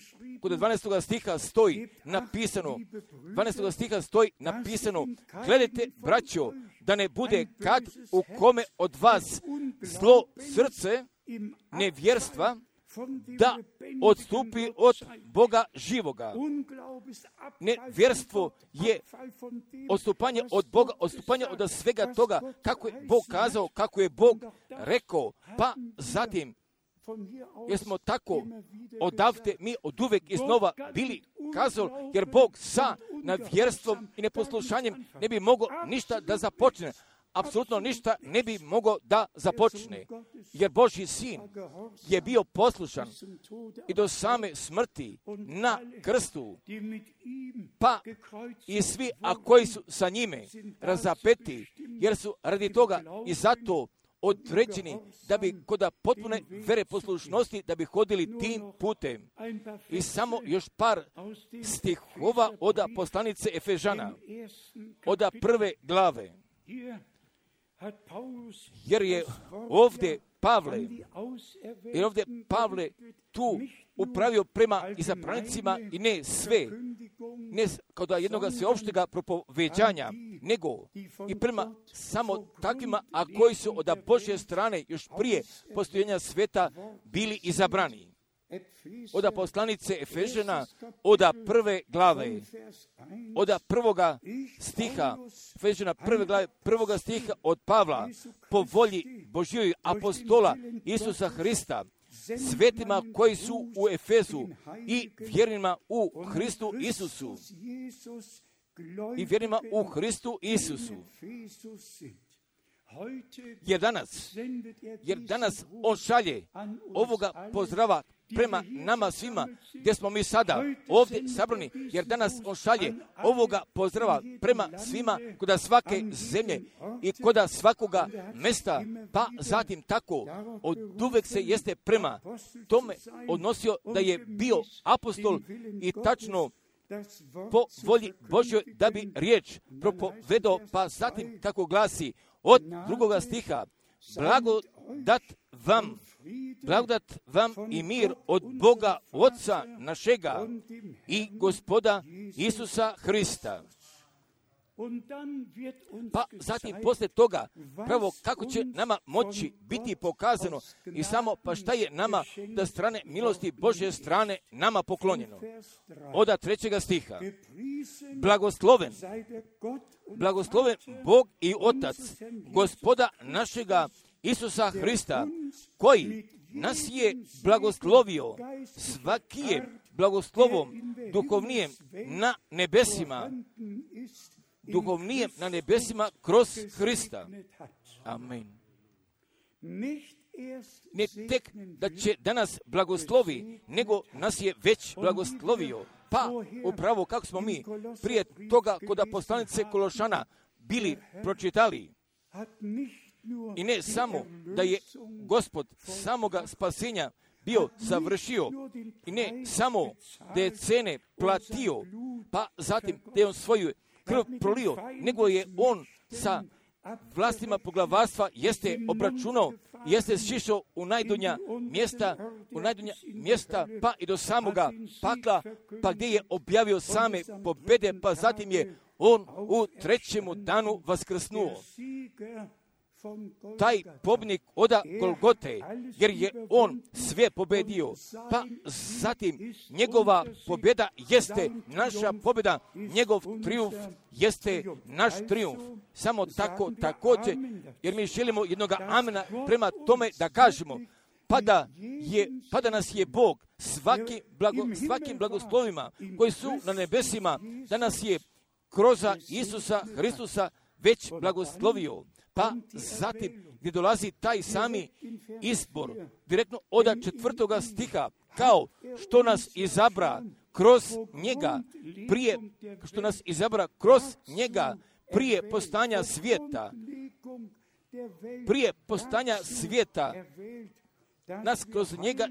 kod 12. stiha stoji napisano, 12. stiha stoji napisano, gledajte, braćo, da ne bude kad u kome od vas zlo srce nevjerstva, da odstupi od Boga živoga. Nevjerstvo je odstupanje od Boga, odstupanje od svega toga, kako je Bog kazao, kako je Bog rekao, pa zatim, jer smo tako odavde mi oduvek iznova bili kazali, jer Bog sa nevjerstvom i neposlušanjem ne bi mogao ništa da započne. Apsolutno ništa ne bi mogao da započne, jer Božji sin je bio poslušan i do same smrti na krstu, pa i svi, a koji su sa njime razapeti, jer su radi toga i zato određeni da bi kod potpune vere poslušnosti da bi hodili tim putem. I samo još par stihova od poslanice Efežana, od 1. glave. Jer je ovdje Pavle tu upravio prema izabranicima i ne sve, ne kao da jednoga sveopštega propoveđanja, nego i prema samo takvima, a koji su od Božje strane još prije postojenja sveta bili izabrani. Od poslanice Efežana, od 1. glave, od 1. stiha, Efežana 1. glave, 1. stiha od Pavla, po volji Božjoj apostola Isusa Hrista, svetima koji su u Efezu i vjernima u Hristu Isusu. I vjernima u Hristu Isusu. Jer danas on šalje ovoga pozdrava prema nama svima, gdje smo mi sada ovdje sabrani, jer danas on šalje ovoga pozdrava prema svima kod svake zemlje i kod svakoga mesta, pa zatim tako od uvek se jeste prema tome odnosio da je bio apostol i tačno po volji Božjoj da bi riječ propovedao, pa zatim kako glasi od 2. stiha, blagodat vam i mir od Boga Otca našega i Gospoda Isusa Hrista. Pa zatim poslije toga, pravo kako će nama moći biti pokazano i samo pa šta je nama da strane milosti Božje strane nama poklonjeno. Od 3. stiha. Blagosloven Bog i Otac, Gospoda našega Isusa Hrista, koji nas je blagoslovio svakije blagoslovom duhovnijem na nebesima kroz Hrista. Amen. Ne tek da će danas blagoslovi, nego nas je već blagoslovio. Pa upravo kako smo mi prije toga kod poslanice Kološana bili pročitali. I ne samo da je Gospod samoga spasenja bio završio i ne samo da je cene platio, pa zatim da je on svoju krv prolio, nego je on sa vlastima poglavarstva jeste obračunao, jeste šišao u najdonja mjesta, pa i do samoga pakla, pa gdje je objavio same pobjede, pa zatim je on u 3. danu vaskrsnuo. Taj pobjednik od Golgote, jer je on sve pobedio, pa zatim njegova pobjeda jeste naša pobjeda, njegov trijumf jeste naš trijumf. Samo tako također, jer mi želimo jednoga amena prema tome da kažemo, pa da nas je Bog svakim blagoslovima koji su na nebesima, da nas je kroz Isusa Hristusa već blagoslovio. Pa zatim gdje dolazi taj sami izbor, direktno od 4. stiha, kao što nas izabra kroz njega, prije postanja svijeta, nas kroz njega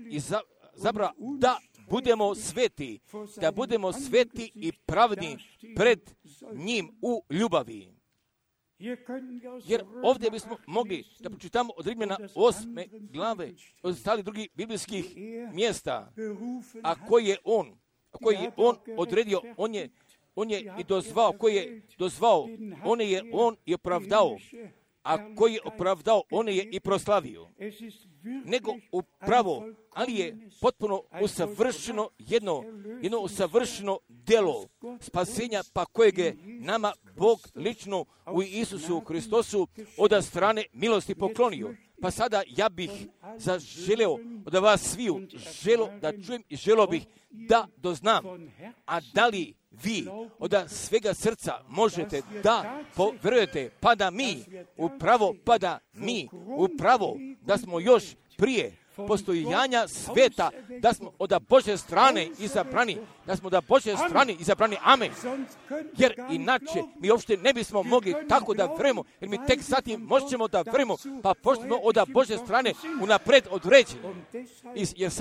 izabra da budemo sveti, da budemo sveti i pravni pred njim u ljubavi. Jer ovdje bismo mogli da pročitamo od Rimljana 8. glave, od ostalih drugih biblijskih mjesta, a koji je on odredio, on je i dozvao, koji je dozvao, on je opravdao, a koji je opravdao, on je i proslavio. Nego upravo, ali je potpuno usavršeno jedno usavršeno djelo spasenja, pa kojeg je nama Bog lično u Isusu Hristosu od strane milosti poklonio. Pa sada ja bih zaželeo da vas sviju da čujem i želio bih da doznam, a da li vi od svega srca možete da povjerujete, pa da mi upravo da smo još prije postojanja sveta, da smo od Božje strane izabrani, amen. Jer inače mi uopšte ne bismo mogli tako da vjerujemo, jer mi tek zatim možemo da vjerujemo, pa pošto od Božje strane unapred određeni. Jer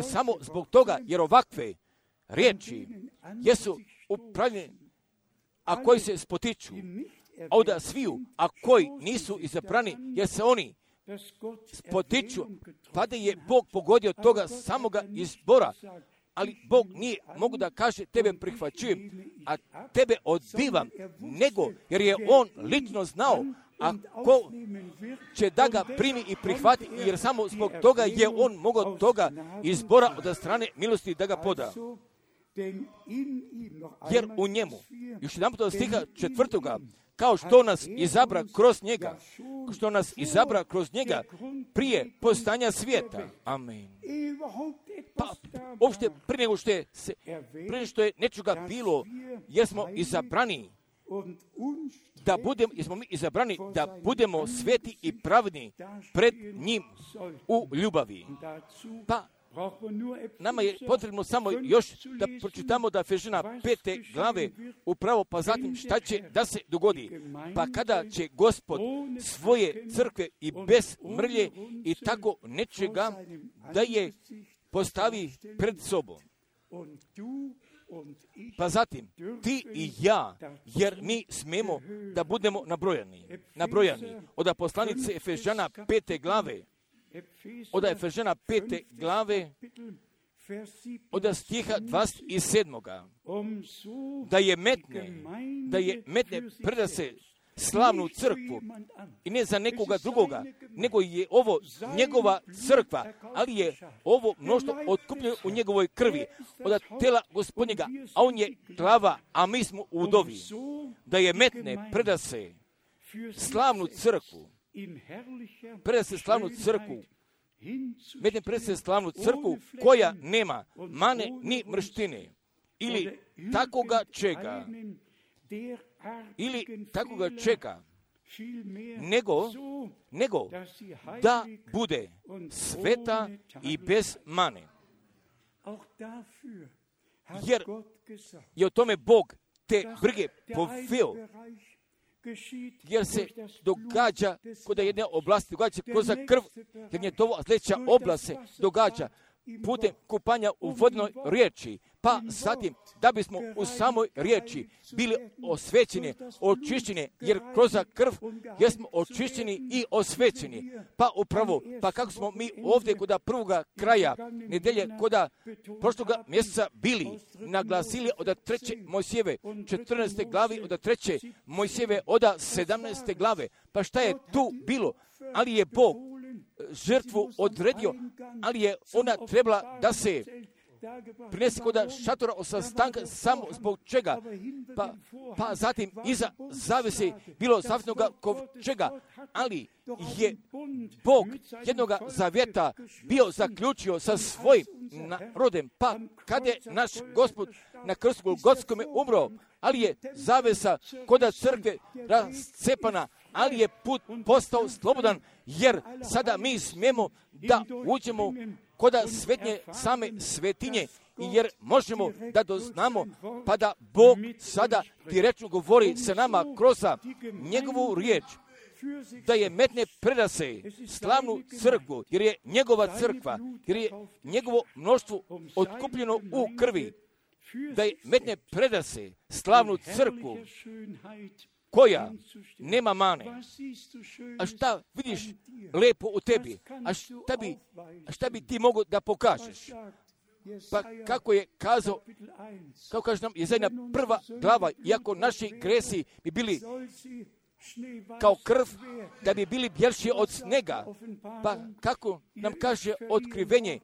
samo zbog toga, jer ovakve riječi jesu upravljene, a koji se spotiču, a od sviju, a koji nisu izabrani, jer se oni spotiču, pa da je Bog pogodio toga samoga izbora, ali Bog nije mogu da kaže tebe prihvaćujem, a tebe odbivam, nego jer je on lično znao, a ko će da ga primi i prihvati, jer samo zbog toga je on mogao toga izbora od strane milosti da ga poda. Jer u njemu, još jedan put od stiha 4. kao što nas izabra kroz njega, prije postanja svijeta. Amen. Pa, uopšte prije nego što je nečega bilo, jer smo izabrani, da budemo sveti i pravni pred njim u ljubavi. Pa, nama je potrebno samo još da pročitamo da Efežana 5. glave upravo, pa zatim šta će da se dogodi. Pa kada će Gospod svoje crkve i bez mrlje i tako nečega da je postavi pred sobom. Pa zatim, ti i ja, jer mi smemo da budemo nabrojani. Od poslanice Efežana 5. glave, od Efežana 5. glave, od stiha 27. da je metne preda se slavnu crkvu i ne za nekoga drugoga, nego je ovo njegova crkva, ali je ovo mnoštvo otkupljeno u njegovoj krvi od tela Gospodnjega, a on je glava, a mi smo udovi. Da je metne preda se slavnu crkvu, koja nema mane ni mrštine, ili takoga čega, nego da bude sveta i bez mane. Jer je o tome Bog te brige poveo, jer se događa kod jedne oblasti, događa se kroz krv, jer je to sljedeća oblast se događa putem kupanja u vodnoj riječi, pa zatim da bismo u samoj riječi bili osvećeni, očišćeni, jer kroz krv jesmo očišćeni i osvećeni. Pa upravo, pa kako smo mi ovdje kod prvoga kraja nedelje, kod prošloga mjeseca bili, naglasili od 3. Mojsijeve 14. glavi, od 3. Mojsijeve od 17. glave. Pa šta je tu bilo? Ali je Bog žrtvu odredio, ali je ona trebala da se prinese kod šatora sastanka samo zbog čega. Pa zatim iza zavese bilo zavjetnoga kovčega, ali je Bog jednoga zavjeta bio zaključio sa svojim narodom. Pa kada je naš Gospod na krstu Golgotskome umro, ali je zavesa kod crkve rascepana, ali je put postao slobodan, jer sada mi smijemo da uđemo kod svetnje same svetinje, jer možemo da doznamo, pa da Bog sada direktno govori sa nama kroz njegovu riječ. da je metne predase slavnu crkvu, jer je njegova crkva, jer je njegovo mnoštvo otkupljeno u krvi, da je metne predase slavnu crkvu koja nema mane. A šta vidiš lepo u tebi? A šta bi ti mogao da pokažeš? Pa kako je kazao, kako kaže nam Jesaja prva glava, iako naši gresi bi bili kao krv, da bi bili bjelši od snega, pa kako nam kaže otkrivenje,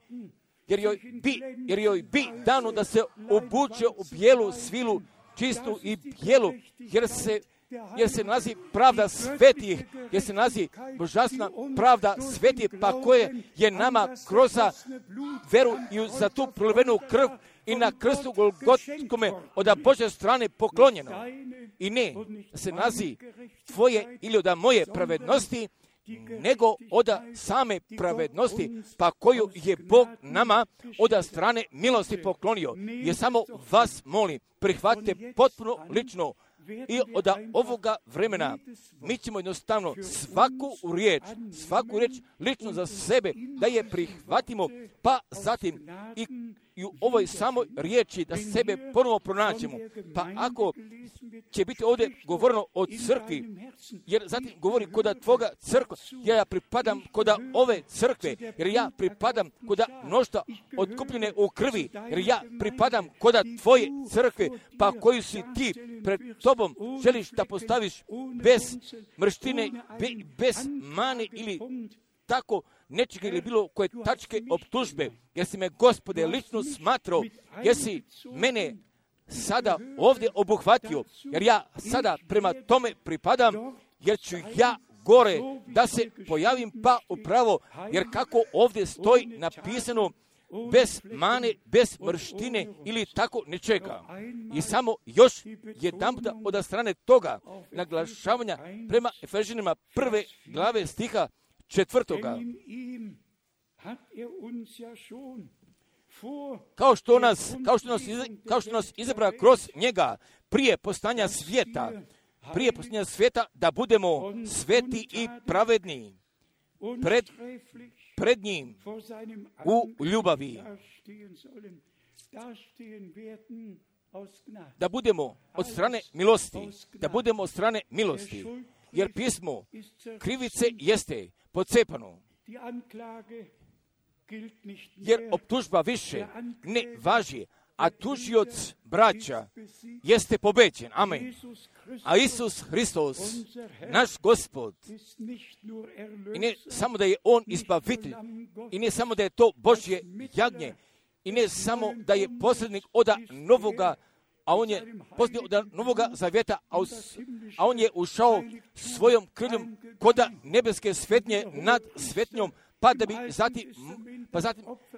jer joj bi dano da se obuče u bijelu svilu, čistu i bijelu, jer se nalazi pravda svetih, jer se nalazi božanstvena pravda svetih, pa koje je nama kroz veru i za tu prolivenu krv i na krstu Golgotskome od Božje strane poklonjeno. I ne se nalazi tvoje ili od moje pravednosti, nego od same pravednosti, pa koju je Bog nama od strane milosti poklonio. Jer samo vas molim, prihvatite potpuno lično i od ovoga vremena mi ćemo jednostavno svaku riječ lično za sebe da je prihvatimo, pa zatim i u ovoj samoj riječi da sebe ponovo pronaćemo. Pa ako će biti ovdje govoreno o crkvi, jer zatim govori koda tvoga crkva, ja pripadam koda ove crkve, jer ja pripadam koda mnoštva otkupljene u krvi, jer ja pripadam koda tvoje crkve, pa koju si ti pred tobom želiš da postaviš bez mrštine, bez mane ili tako nečega ili bilo koje tačke optužbe, jer si me, Gospode, lično smatrao, jer si mene sada ovdje obuhvatio, jer ja sada prema tome pripadam, jer ću ja gore da se pojavim pa upravo, jer kako ovdje stoji napisano, bez mane, bez mrštine ili tako nečega. I samo još jedan puta od strane toga naglašavanja prema Efežanima 1. glave stiha 4. Kao što nas izabra kroz njega prije postanja svijeta, da budemo sveti i pravedni pred njim u ljubavi. Da budemo od strane milosti, jer pismo krivice jeste pocepano, jer optužba više ne važi, a tužioc braća jeste pobeđen. Amen. A Isus Hristos, naš Gospod, i ne samo da je On izbavitelj, i ne samo da je to Božje jagnje, i ne samo da je posrednik od novoga, a on je posrednik od novoga zavjeta, a on je ušao svojom krvljom koda nebeske svetnje nad svetnjom, pa da bi zatim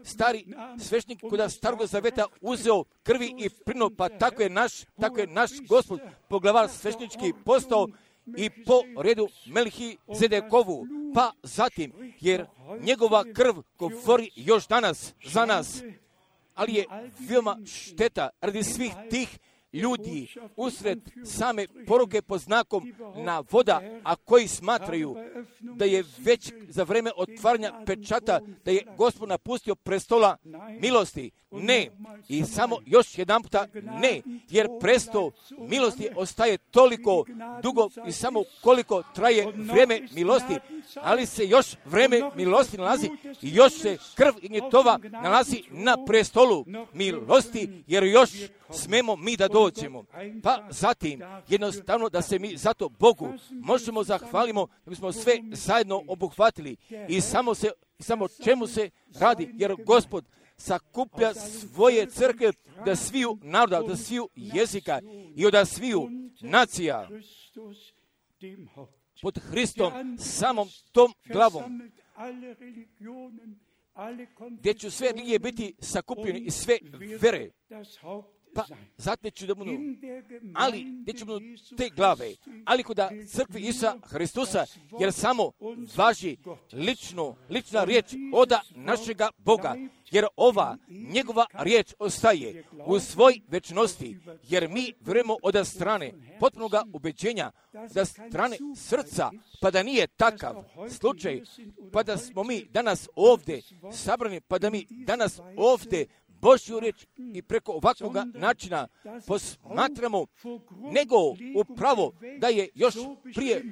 stari svešnik koda starog zavjeta uzeo krvi i prinuo, pa tako je naš Gospod poglavar svešnički postao i po redu Melhizedekovu, pa zatim, jer njegova krv govori još danas za nas, ali je veoma šteta radi svih tih ljudi usred same poruke pod znakom navoda, a koji smatraju da je već za vreme otvaranja pečata, da je Gospod napustio prestola milosti. Ne. I samo još jedan puta ne, jer prestol milosti ostaje toliko dugo i samo koliko traje vreme milosti, ali se još vreme milosti nalazi i još se krv Ignjetova nalazi na prestolu milosti, jer još smemo mi da dođemo. Pa zatim, jednostavno da se mi zato Bogu možemo zahvalimo da bismo sve zajedno obuhvatili i samo čemu se radi, jer Gospod sakuplja svoje crkve da sviju naroda, da sviju jezika i od sviju nacija pod Hristom samom tom glavom, gdje će sve religije biti sakupljene i sve vere. pa zatim će da budu, ali gdje će budu te glave, ali kod crkvi Isusa Hristusa, jer samo važi lična riječ oda našega Boga, jer ova njegova riječ ostaje u svoj večnosti, jer mi vjerujemo od strane potpunoga ubeđenja, da strane srca, pa da nije takav slučaj, pa da smo mi danas ovdje sabrani, pa da mi danas ovdje Božju riječ i preko ovakvog načina posmatramo, nego upravo da je još prije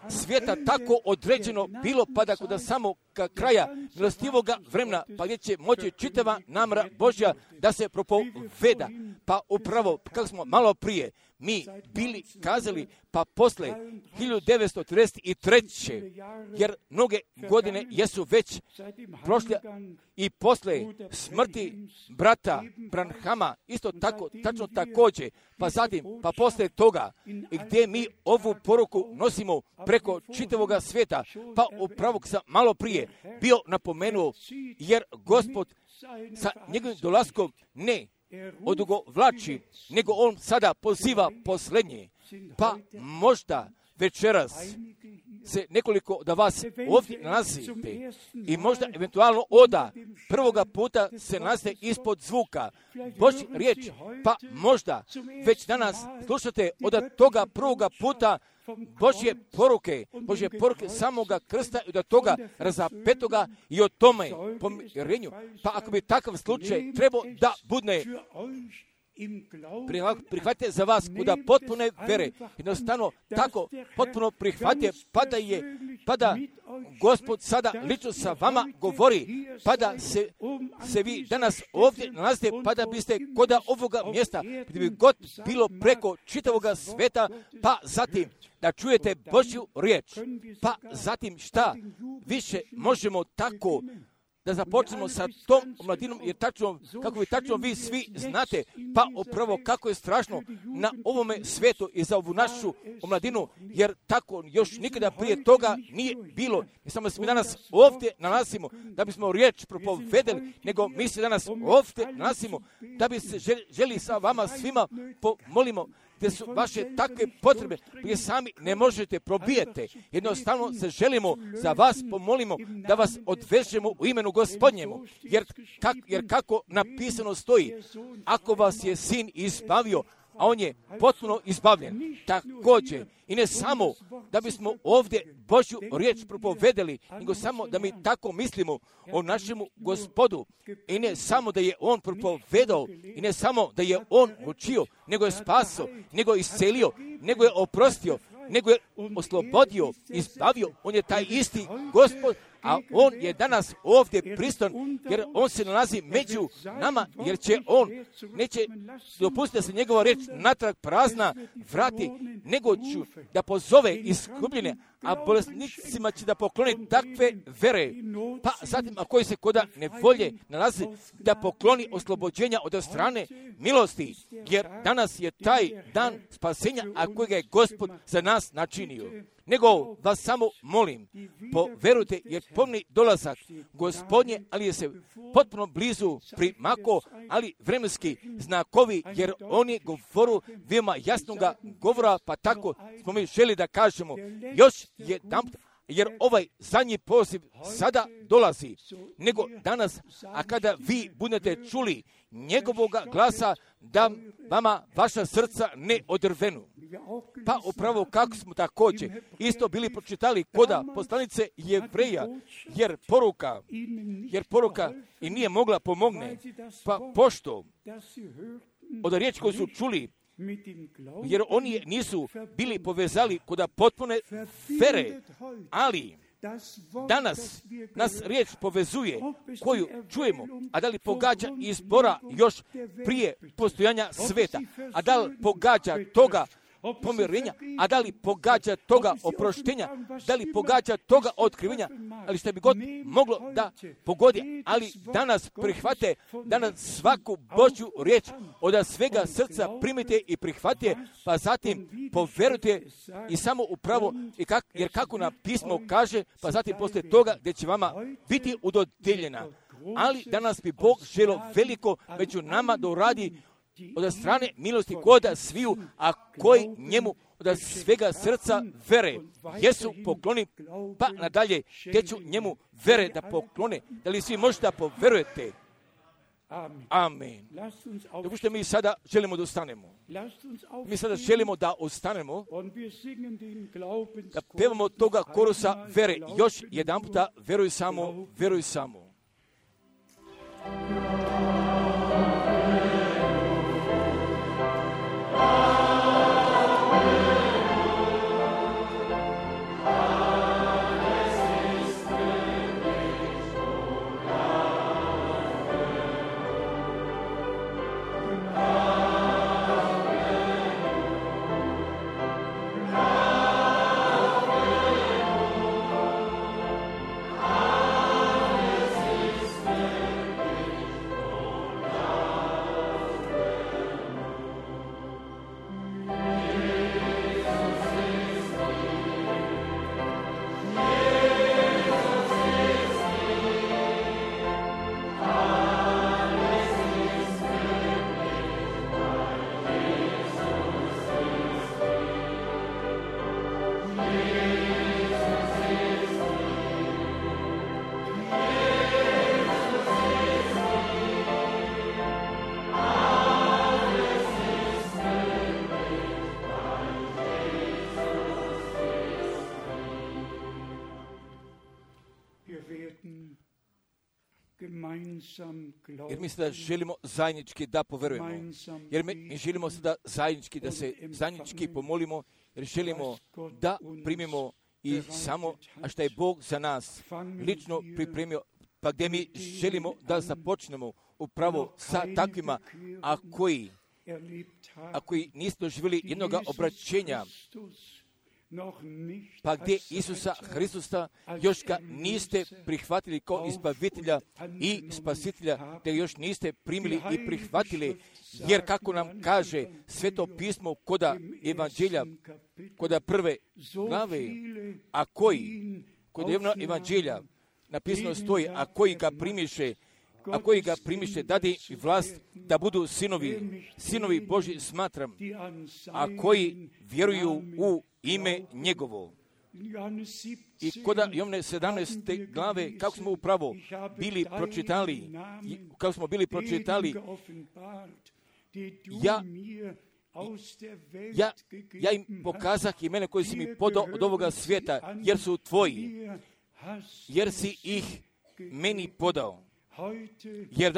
svijeta tako određeno bilo, pa da kod samog kraja milostivoga vremena, pa gdje će moći čitava namjera Božja da se propoveda. Pa upravo, kako smo malo prije mi bili kazali, pa posle 1933. jer mnoge godine jesu već prošle i posle smrti brata Branhama, isto tako, tačno također, pa zatim, pa posle toga, gdje mi ovu poruku nosimo preko čitavoga svijeta, pa upravo sam malo prije bio napomenuo, jer Gospod sa njegovim dolaskom ne odugovlači, nego on sada poziva posljednje. Pa možda večeras se nekoliko da vas ovdje nalazite i možda eventualno oda prvoga puta se nalazite ispod zvuka Božja riječ, pa možda već danas slušate od toga prvoga puta Božje poruke samoga krsta i od toga razapetoga i o tome pomirenju. Pa ako bi takav slučaj trebao da bude prihvatite za vas kuda potpune vere, jednostavno tako potpuno prihvatite, pa da Gospod sada lično sa vama govori, pa da se vi danas ovdje nalazite, pa da biste kod ovoga mjesta, gdje bi god bilo preko čitavoga sveta, pa zatim da čujete Božju riječ, pa zatim šta više možemo tako da započnemo sa tom omladinom, jer tačno, kako vi tačno vi svi znate, pa upravo kako je strašno na ovome svijetu i za ovu našu omladinu, jer tako još nikada prije toga nije bilo. I samo se mi danas ovdje nalazimo da bismo riječ propovedeli, nego mi se danas ovdje nalazimo da bi se želi sa vama svima pomolimo, gdje su vaše takve potrebe, gdje sami ne možete probijete. Jednostavno se želimo za vas pomolimo da vas odvežemo u imenu Gospodnjemu. Jer kako napisano stoji, ako vas je sin izbavio, a on je potpuno izbavljen. Također, i ne samo da bismo ovdje Božju riječ propovedeli, nego samo da mi tako mislimo o našemu Gospodu. I ne samo da je on propovedao, i ne samo da je on učio, nego je spasio, nego je iscelio, nego je oprostio, nego je oslobodio, izbavio. On je taj isti Gospod, a on je danas ovdje pristan, jer on se nalazi među nama, jer će on, neće dopustiti da se njegova riječ natrag prazna vrati, nego ću da pozove iskupljene, a bolesnicima će da pokloni takve vere. Pa zatim, a koji se koda nevolje nalazi, da pokloni oslobođenja od strane milosti, jer danas je taj dan spasenja, a kojega je Gospod za nas načinio. Nego vas samo molim, poverujte, jer pomni dolazak Gospodnje, ali je se potpuno blizu primako, ali vremenski znakovi, jer on je govoru veoma jasnoga govora, pa tako smo mi želi da kažemo još jedan, jer ovaj zadnji poziv sada dolazi, nego danas, a kada vi budete čuli njegovoga glasa, da vama vaša srca ne odrvenu. Pa upravo kako smo također isto bili pročitali koda poslanice Jevreja, jer poruka i nije mogla pomogne, pa pošto od riječi koju su čuli, jer oni nisu bili povezali koda potpune vere, ali danas nas riječ povezuje koju čujemo, a da li pogađa izbora još prije postojanja sveta, a da li pogađa toga pomirenja, a da li pogađa toga oproštenja, da li pogađa toga otkrivenja, ali što bi god moglo da pogodi, ali danas prihvate, danas svaku Božju riječ od svega srca primite i prihvate, pa zatim poverujte i samo upravo, jer kako na pismo kaže, pa zatim poslije toga gdje će vama biti udodijeljena ali danas bi Bog želio veliko među nama da uradi od strane milosti koda sviju, a koji njemu od svega srca vere jesu pokloni, pa nadalje teću njemu vere da poklone. Da li svi možete da poverujete? Amen. Dok što mi sada želimo da ustanemo. Mi sada želimo da ustanemo, da pevamo toga korusa vere. Još jedan puta, veruj samo, veruj samo. Jer mi sada želimo zajednički da poverujemo. Jer mi želimo sada zajednički da se zajednički pomolimo, jer želimo da primimo i samo, a što je Bog za nas lično pripremio, pa gdje mi želimo da započnemo upravo sa takvima, a koji niste doživjeli jednog obraćenja, pa gdje Isusa Hristusa još ga niste prihvatili kao izbavitelja i spasitelja, te još niste primili i prihvatili, jer kako nam kaže Sveto pismo koda evanđelja, koda prve glave, a kod evanđelja napisano stoji, a koji ga primiše, dade i vlast da budu sinovi Božji smatram, a koji vjeruju u ime njegovo. I kod Jovne 17. glave, kako smo upravo bili pročitali, ja im pokazah imena koji si mi podao od ovoga svijeta, jer su tvoji, jer si ih meni podao. Jer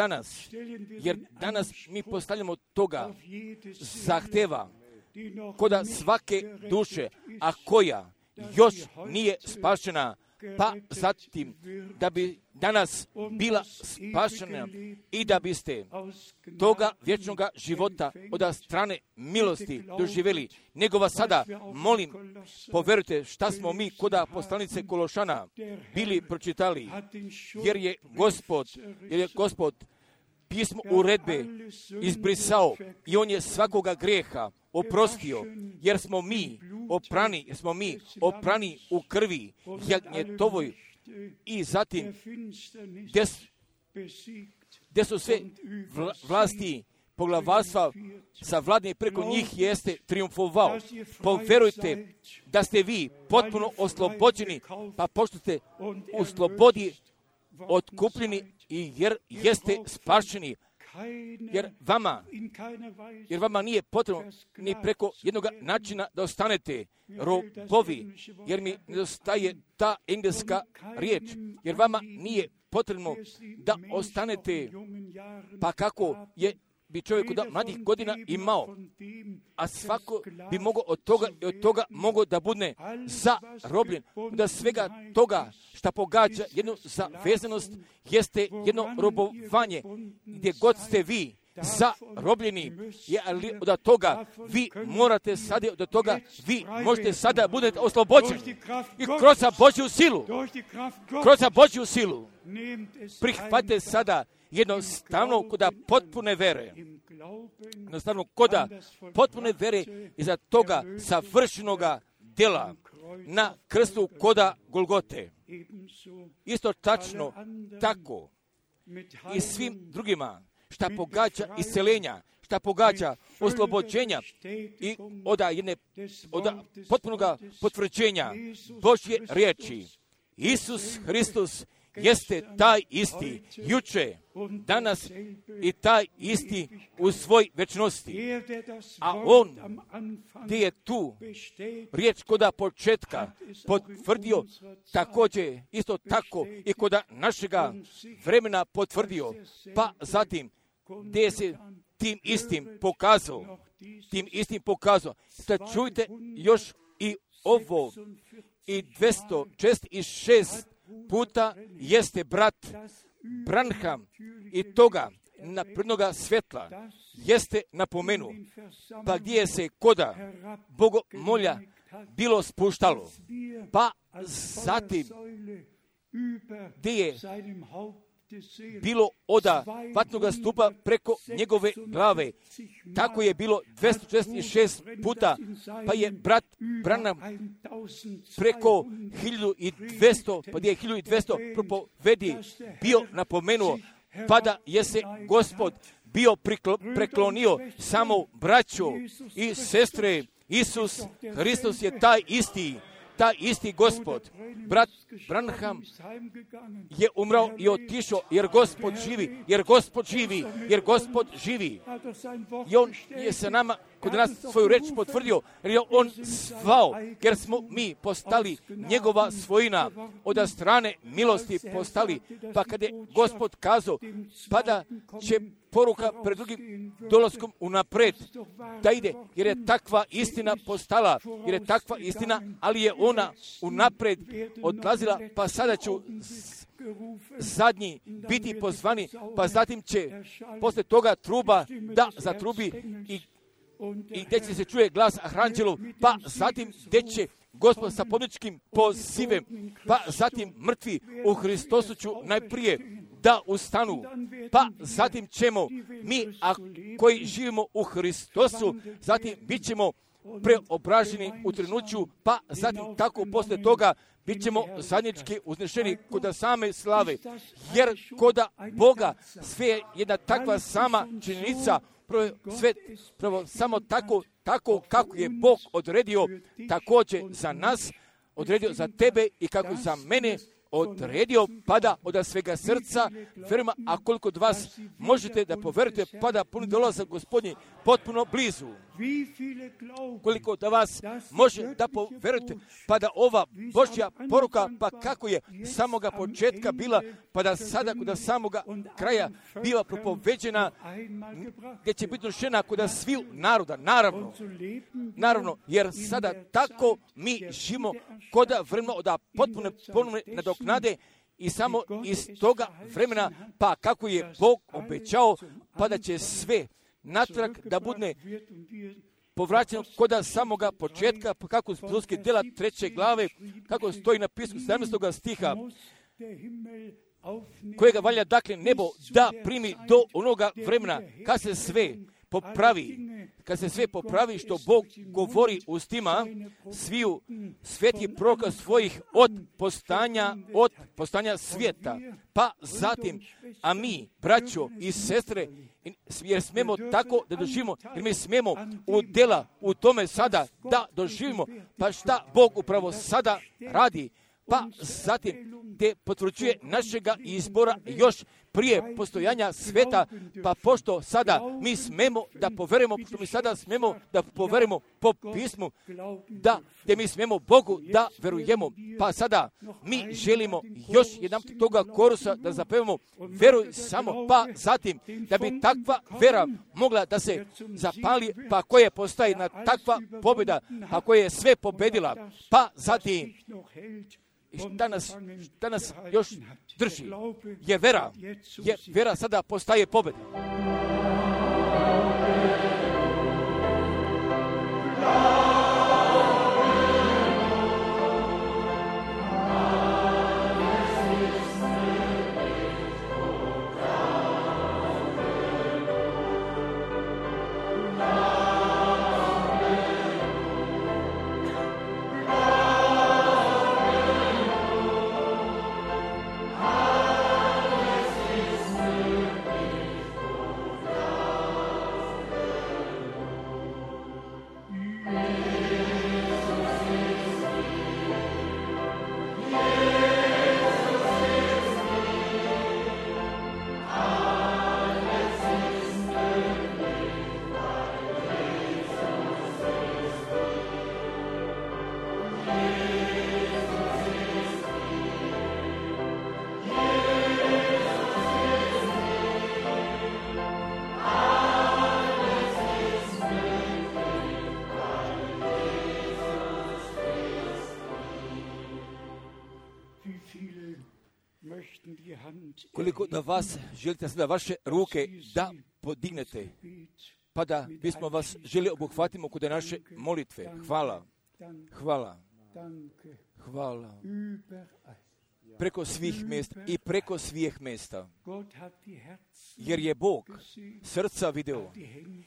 danas mi postavljamo toga zahteva koda svake duše, a koja još nije spašena, pa zatim da bi danas bila spašena i da biste toga vječnog života od strane milosti doživjeli. Nego vas sada molim, poverujte šta smo mi koda poslanice Kološana bili pročitali, jer je Gospod pismo uredbe izbrisao i on je svakoga grijeha oprostio, jer smo mi oprani u krvi jagnjetovoj. I zatim gdje su sve vlasti poglavarstva savladne preko njih jeste triumfovao. Poverujte da ste vi potpuno oslobođeni, pa pošto ste u slobodi otkupljeni i jer jeste spašeni, jer vama nije potrebno ni preko jednog načina da ostanete robovi, jer mi nedostaje ta engleska riječ, jer vama nije potrebno da ostanete, pa kako bi čovjek od mladih godina imao, a svako bi mogao od toga mogao da bude zarobljen, da svega toga što pogađa jednu zavezanost jeste jedno robovanje, gdje god ste vi zarobljeni, ali od toga vi morate sada, od toga vi možete sada budete oslobođeni i kroz Božju silu prihvatite sada jednostavno koda potpune vere. Jednostavno koda potpune vere iza toga savršenoga djela na krstu koda Golgote. Isto tačno tako i svim drugima, šta pogađa isceljenja, šta pogađa oslobođenja i od potpunoga potvrđenja Božje riječi. Isus Hristos jeste taj isti juče, danas i taj isti u svoj večnosti. A on gdje je tu riječ koda početka potvrdio, također isto tako i koda našega vremena potvrdio, pa zatim gdje se tim istim pokazao. Sad čujte još i ovo, i 206 puta jeste brat Branham i toga naprednoga svjetla jeste napomenuo, pa gdje se koda bogomolja bilo spuštalo, pa zatim gdje je bilo oda vatnoga stupa preko njegove glave. Tako je bilo 246 puta, pa je brat Branham preko 1200, pa gdje je 1200 propovedi bio napomenuo, pa da je se Gospod bio preklonio samo braćo i sestre. Isus Hristos je taj isti Gospod. Brat Branham je umrao i otišao jer Gospod živi. I on je sa nama, kod nas svoju reč potvrdio, jer je on zvao, jer smo mi postali njegova svojina, od strane milosti postali. Pa kada je Gospod kazao, pa da će poruka pred drugim dolaskom unapred da ide, jer je takva istina postala, ali je ona unapred odlazila, pa sada ću zadnji biti pozvani, pa zatim će posle toga truba da zatrubi i gdje će se čuje glas arhanđelov, pa zatim gdje će Gospod sa pobjedničkim pozivem, pa zatim mrtvi u Hristosu ću najprije da ustanu, pa zatim ćemo mi, a koji živimo u Hristosu, zatim bit ćemo preobraženi u trenuću, pa zatim tako posle toga bit ćemo zajednički uznešeni kod same slave, jer kod Boga sve je jedna takva sama činjenica, prvo samo tako kako je Bog odredio, također za nas, odredio za tebe i kako za mene odredio, pada od svega srca, verima, a koliko od vas možete da poverujete, pada puni dolazak Gospodnji potpuno blizu. Koliko od vas može da poverujete, pa da ova Božja poruka, pa kako je samoga početka bila, pa da sada kod samoga kraja bila propoveđena, gdje će biti došena kod sviju naroda, naravno, jer sada tako mi živimo kod vremena od potpuno nadoknade i samo iz toga vremena, pa kako je Bog obećao, pa da će sve natrag da bude povraćeno kod samoga početka, pa kako Apostolske djela 3. glave, kako stoji napisano 17. stiha, kojega valja dakle nebo da primi do onoga vremena kad se sve popravi što Bog govori ustima sviju svetih proroka svojih od postanja svijeta. Pa zatim, a mi, braćo i sestre, jer smemo tako da doživimo, jer mi smemo u tome sada da doživimo, pa šta Bog upravo sada radi, pa zatim gdje potvrđuje našega izbora još prije postojanja sveta, pa pošto sada mi smemo da poverujemo, pošto mi sada smemo da poverujemo po pismu, da gdje mi smemo Bogu da verujemo, pa sada mi želimo još jedan toga korusa da zapevamo, veruj samo, pa zatim da bi takva vera mogla da se zapali, pa koje postaje na takva pobjeda, pa koje je sve pobedila, pa zatim danas još drži, jer vera sada postaje pobjeda. koliko da vas želite sada vaše ruke da podignete, pa da bismo vas želi obuhvatimo kod naše molitve. Hvala, hvala, hvala. Preko svih mjesta i preko svih mjesta. Jer je Bog srca video,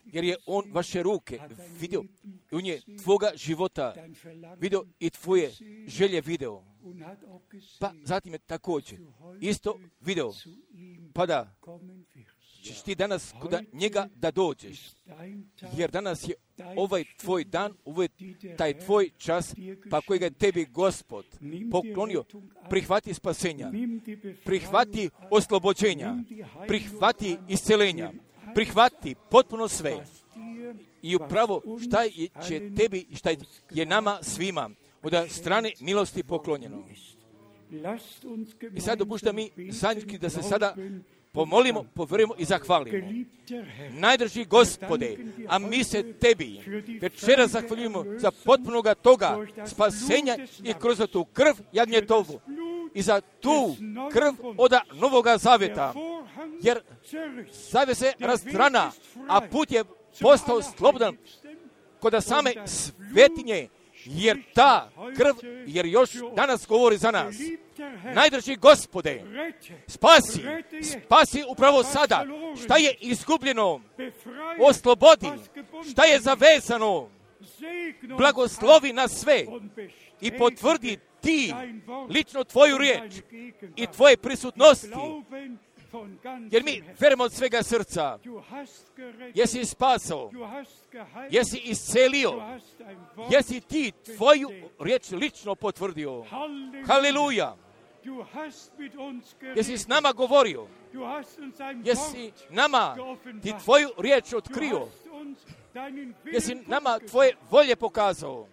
jer je On vaše ruke video, i On je tvoga života video i tvoje želje video. Pa zatim je također isto video, pa da ćeš ti danas kod njega da dođeš, jer danas je ovaj tvoj dan, ovaj taj tvoj čas, pa kojega je tebi Gospod poklonio, prihvati spasenja, prihvati oslobođenja, prihvati isceljenja, prihvati potpuno sve. I upravo šta će tebi, šta je nama svima od strane milosti poklonjeno. I sad dopušta mi zajednički da se sada pomolimo, povjerujemo i zahvalimo. Najdrži Gospode, a mi se tebi večera zahvaljujemo za potpunoga toga spasenja i kroz tu krv jagnjetovu i za tu krv od Novoga Zavjeta, jer zavjesa se razdrana, a put je postao slobodan kod same svetinje, jer ta krv, jer još danas govori za nas. Najdrži Gospode, spasi upravo sada, šta je izgubljeno, oslobodi, šta je zavezano, blagoslovi nas sve i potvrdi ti lično tvoju riječ i tvoje prisutnosti, jer mi verujemo od svega srca. Jesi spasao, jesi iscelio, jesi ti tvoju riječ lično potvrdio. Haleluja! Jesi s nama govorio, jesi nama ti tvoju riječ otkrio, jesi nama tvoje volje pokazao,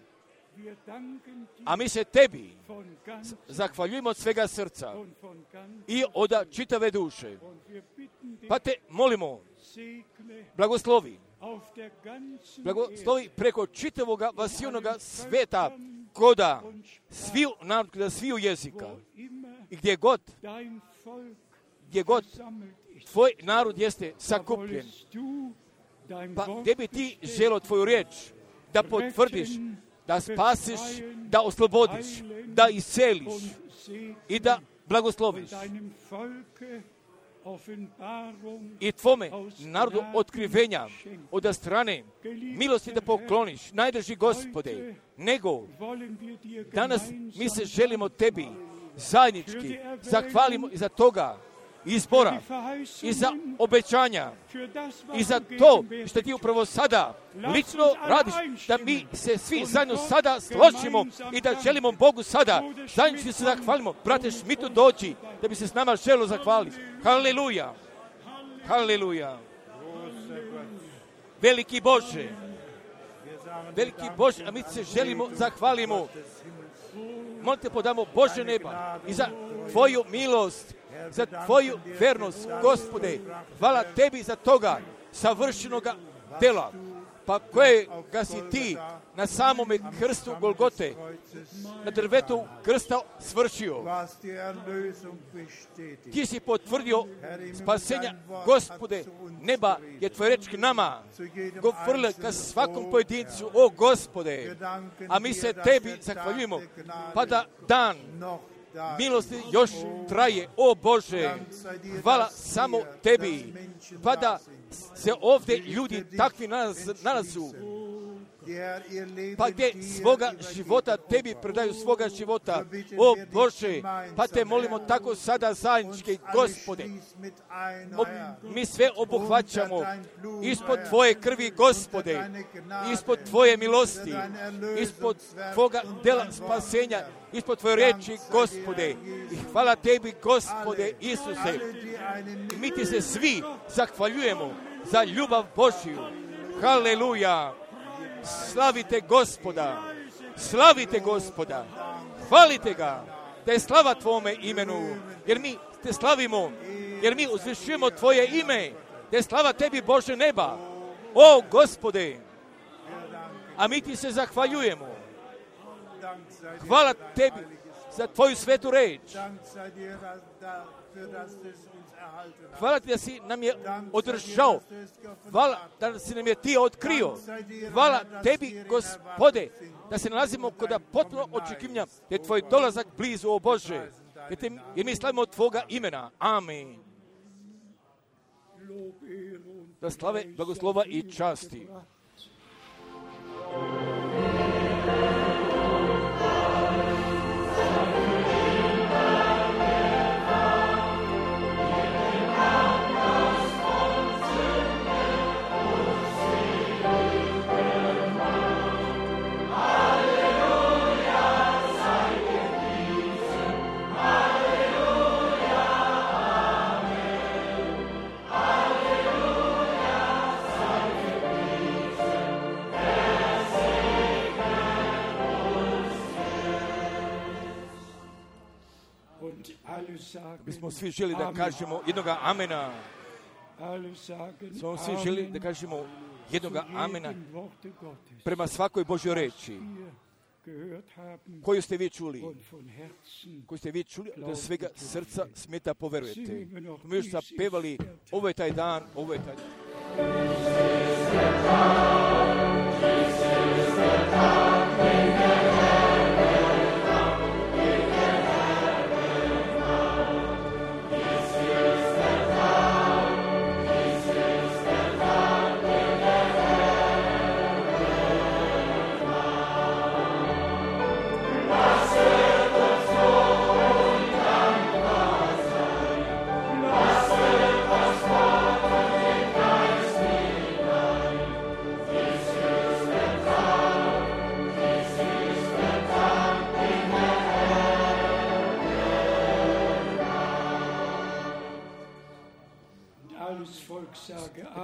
a mi se tebi zahvaljujemo od svega srca i od čitave duše. Pa te molimo, blagoslovi preko čitavoga vasijonoga sveta, koda sviju narod, koda sviju jezika i gdje god tvoj narod jeste sakupljen, pa gdje bi ti želio tvoju riječ da potvrdiš, da spasiš, da oslobodiš, da isceliš i da blagosloviš i tvome narodu otkrivenja od strane milosti da pokloniš, najdrži Gospode, nego danas mi se želimo tebi zajednički zahvalimo i za toga izbora i za obećanja i za to što ti upravo sada lično radiš, da mi se svi zajedno sada složimo i da želimo Bogu sada zajednički se zahvalimo. Brate Šmitu, dođi da bi se s nama želio zahvaliti. Haleluja, haleluja. Veliki Bože, a mi se želimo zahvalimo. Molite podamo Bože neba i za tvoju milost, za tvoju vernost, Gospode. Hvala tebi za toga savršenoga dela, pa kojega si ti na samome krstu Golgote, na drvetu krsta svršio. Ti si potvrdio spasenja, Gospode, neba je tvoja reč k nama, govorila ka svakom pojedincu, o Gospode, a mi se tebi zahvaljujemo, pa da dan milosti još traje, o Bože, hvala samo tebi, pa da se ovdje ljudi takvi nalazu, pa gdje svoga života tebi predaju svoga života, o Bože, pa te molimo tako sada zajednički, Gospode, mi sve obuhvaćamo ispod tvoje krvi, Gospode, ispod tvoje milosti, ispod tvoga dela spasenja, ispod tvoje riječi, Gospode, i hvala tebi, Gospode Isuse, mi ti se svi zahvaljujemo za ljubav Božju. Haleluja. Slavite Gospoda, hvalite ga, da je slava tvome imenu, jer mi te slavimo, jer mi uzvišujemo tvoje ime, da je slava tebi, Bože neba, o Gospode, a mi ti se zahvaljujemo. Hvala tebi za tvoju svetu reč. Hvala ti da si nam je održao. Hvala da si nam je ti otkrio. Hvala tebi, Gospode, da se nalazimo kod potpuno očekivanja, da je tvoj dolazak blizu, o Bože. Jer mi slavimo tvoga imena. Amen. Da slave, blagoslova i časti. Bismo svi želi da kažemo jednoga amena. Smo svi želi da kažemo jednoga amena prema svakoj Božjoj reči koju ste vi čuli. Koju ste vi čuli, da svega srca smeta poverujete. Mi još zapevali, ovo je taj dan, ovo je taj dan.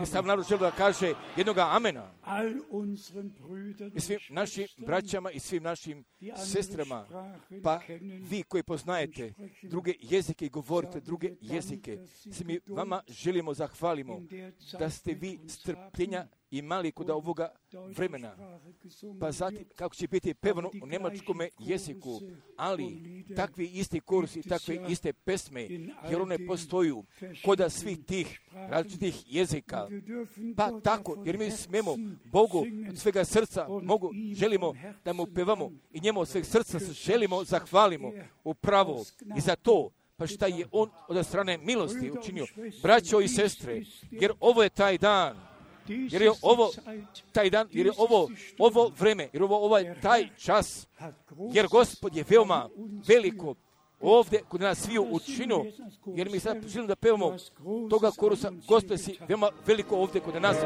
Sam narod želi da kaže jednoga amena. I svim našim braćama i svim našim sestrama, pa vi koji poznajete druge jezike i govorite druge jezike, svi mi vama želimo zahvalimo da ste vi strpljenja imali kod ovoga vremena. Pa zatim kako će biti pevano u njemačkome jeziku, ali takvi isti kursi, takve iste pesme, jer one postoju kod svih tih različitih jezika. Pa tako, jer mi smemo Bogu od svega srca želimo da mu pevamo i njemu od sveg srca želimo zahvalimo upravo i za to, pa šta je on od strane milosti učinio. Braćo i sestre, jer ovo je taj dan, jer je ovo taj dan, jer je ovo vreme, jer ovo je taj čas, jer Gospod je veoma veliko ovdje kod nas sviju učinio, jer mi sad želimo da pevamo toga korusa, Gospod si veoma veliko ovdje kod nas.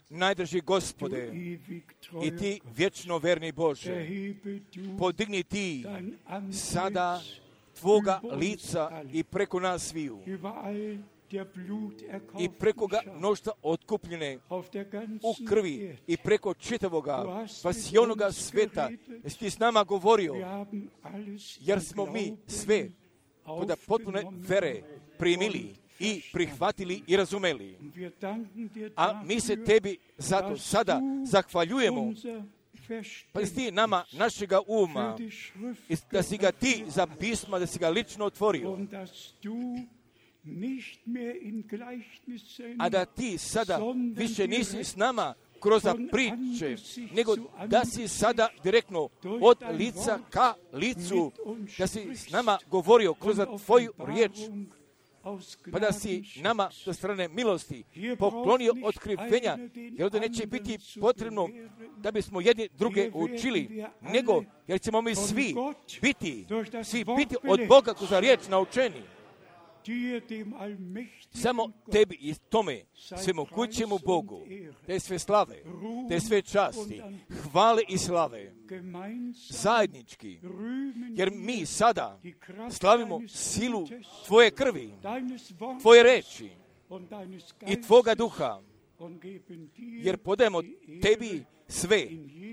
Najdrži Gospode, i ti vječno verni Bože, podigni ti sada tvoga lica i preko nas sviju, i preko ga mnoštva otkupljene u krvi i preko čitavoga spasionoga sveta, jesi ti s nama govorio, jer smo mi sve kod potpune vere primili i prihvatili i razumeli. A mi se tebi zato sada zahvaljujemo, pa si ti nama našega uma, da si ga ti za pisma, da si ga lično otvorio, a da ti sada više nisi s nama kroz priče, nego da si sada direktno od lica ka licu, da si s nama govorio kroz tvoju riječ, pa da si nama sa strane milosti poklonio otkrivenja, jer ovdje neće biti potrebno da bismo jedni druge učili, nego jer ćemo mi svi biti od Boga kroz riječ naučeni. Samo tebi i tome svemogućemu Bogu, te sve slave, te sve časti, hvale i slave, zajednički, jer mi sada slavimo silu tvoje krvi, tvoje reči i tvoga duha, jer podajemo tebi sve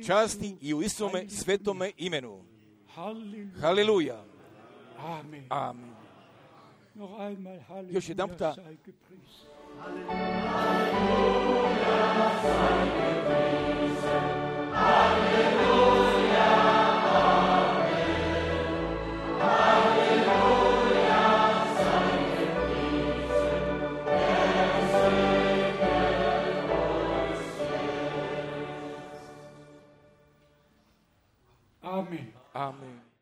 časti i u Isuse svetome imenu. Haleluja. Amen. Još jedan puta. Amen. Amen.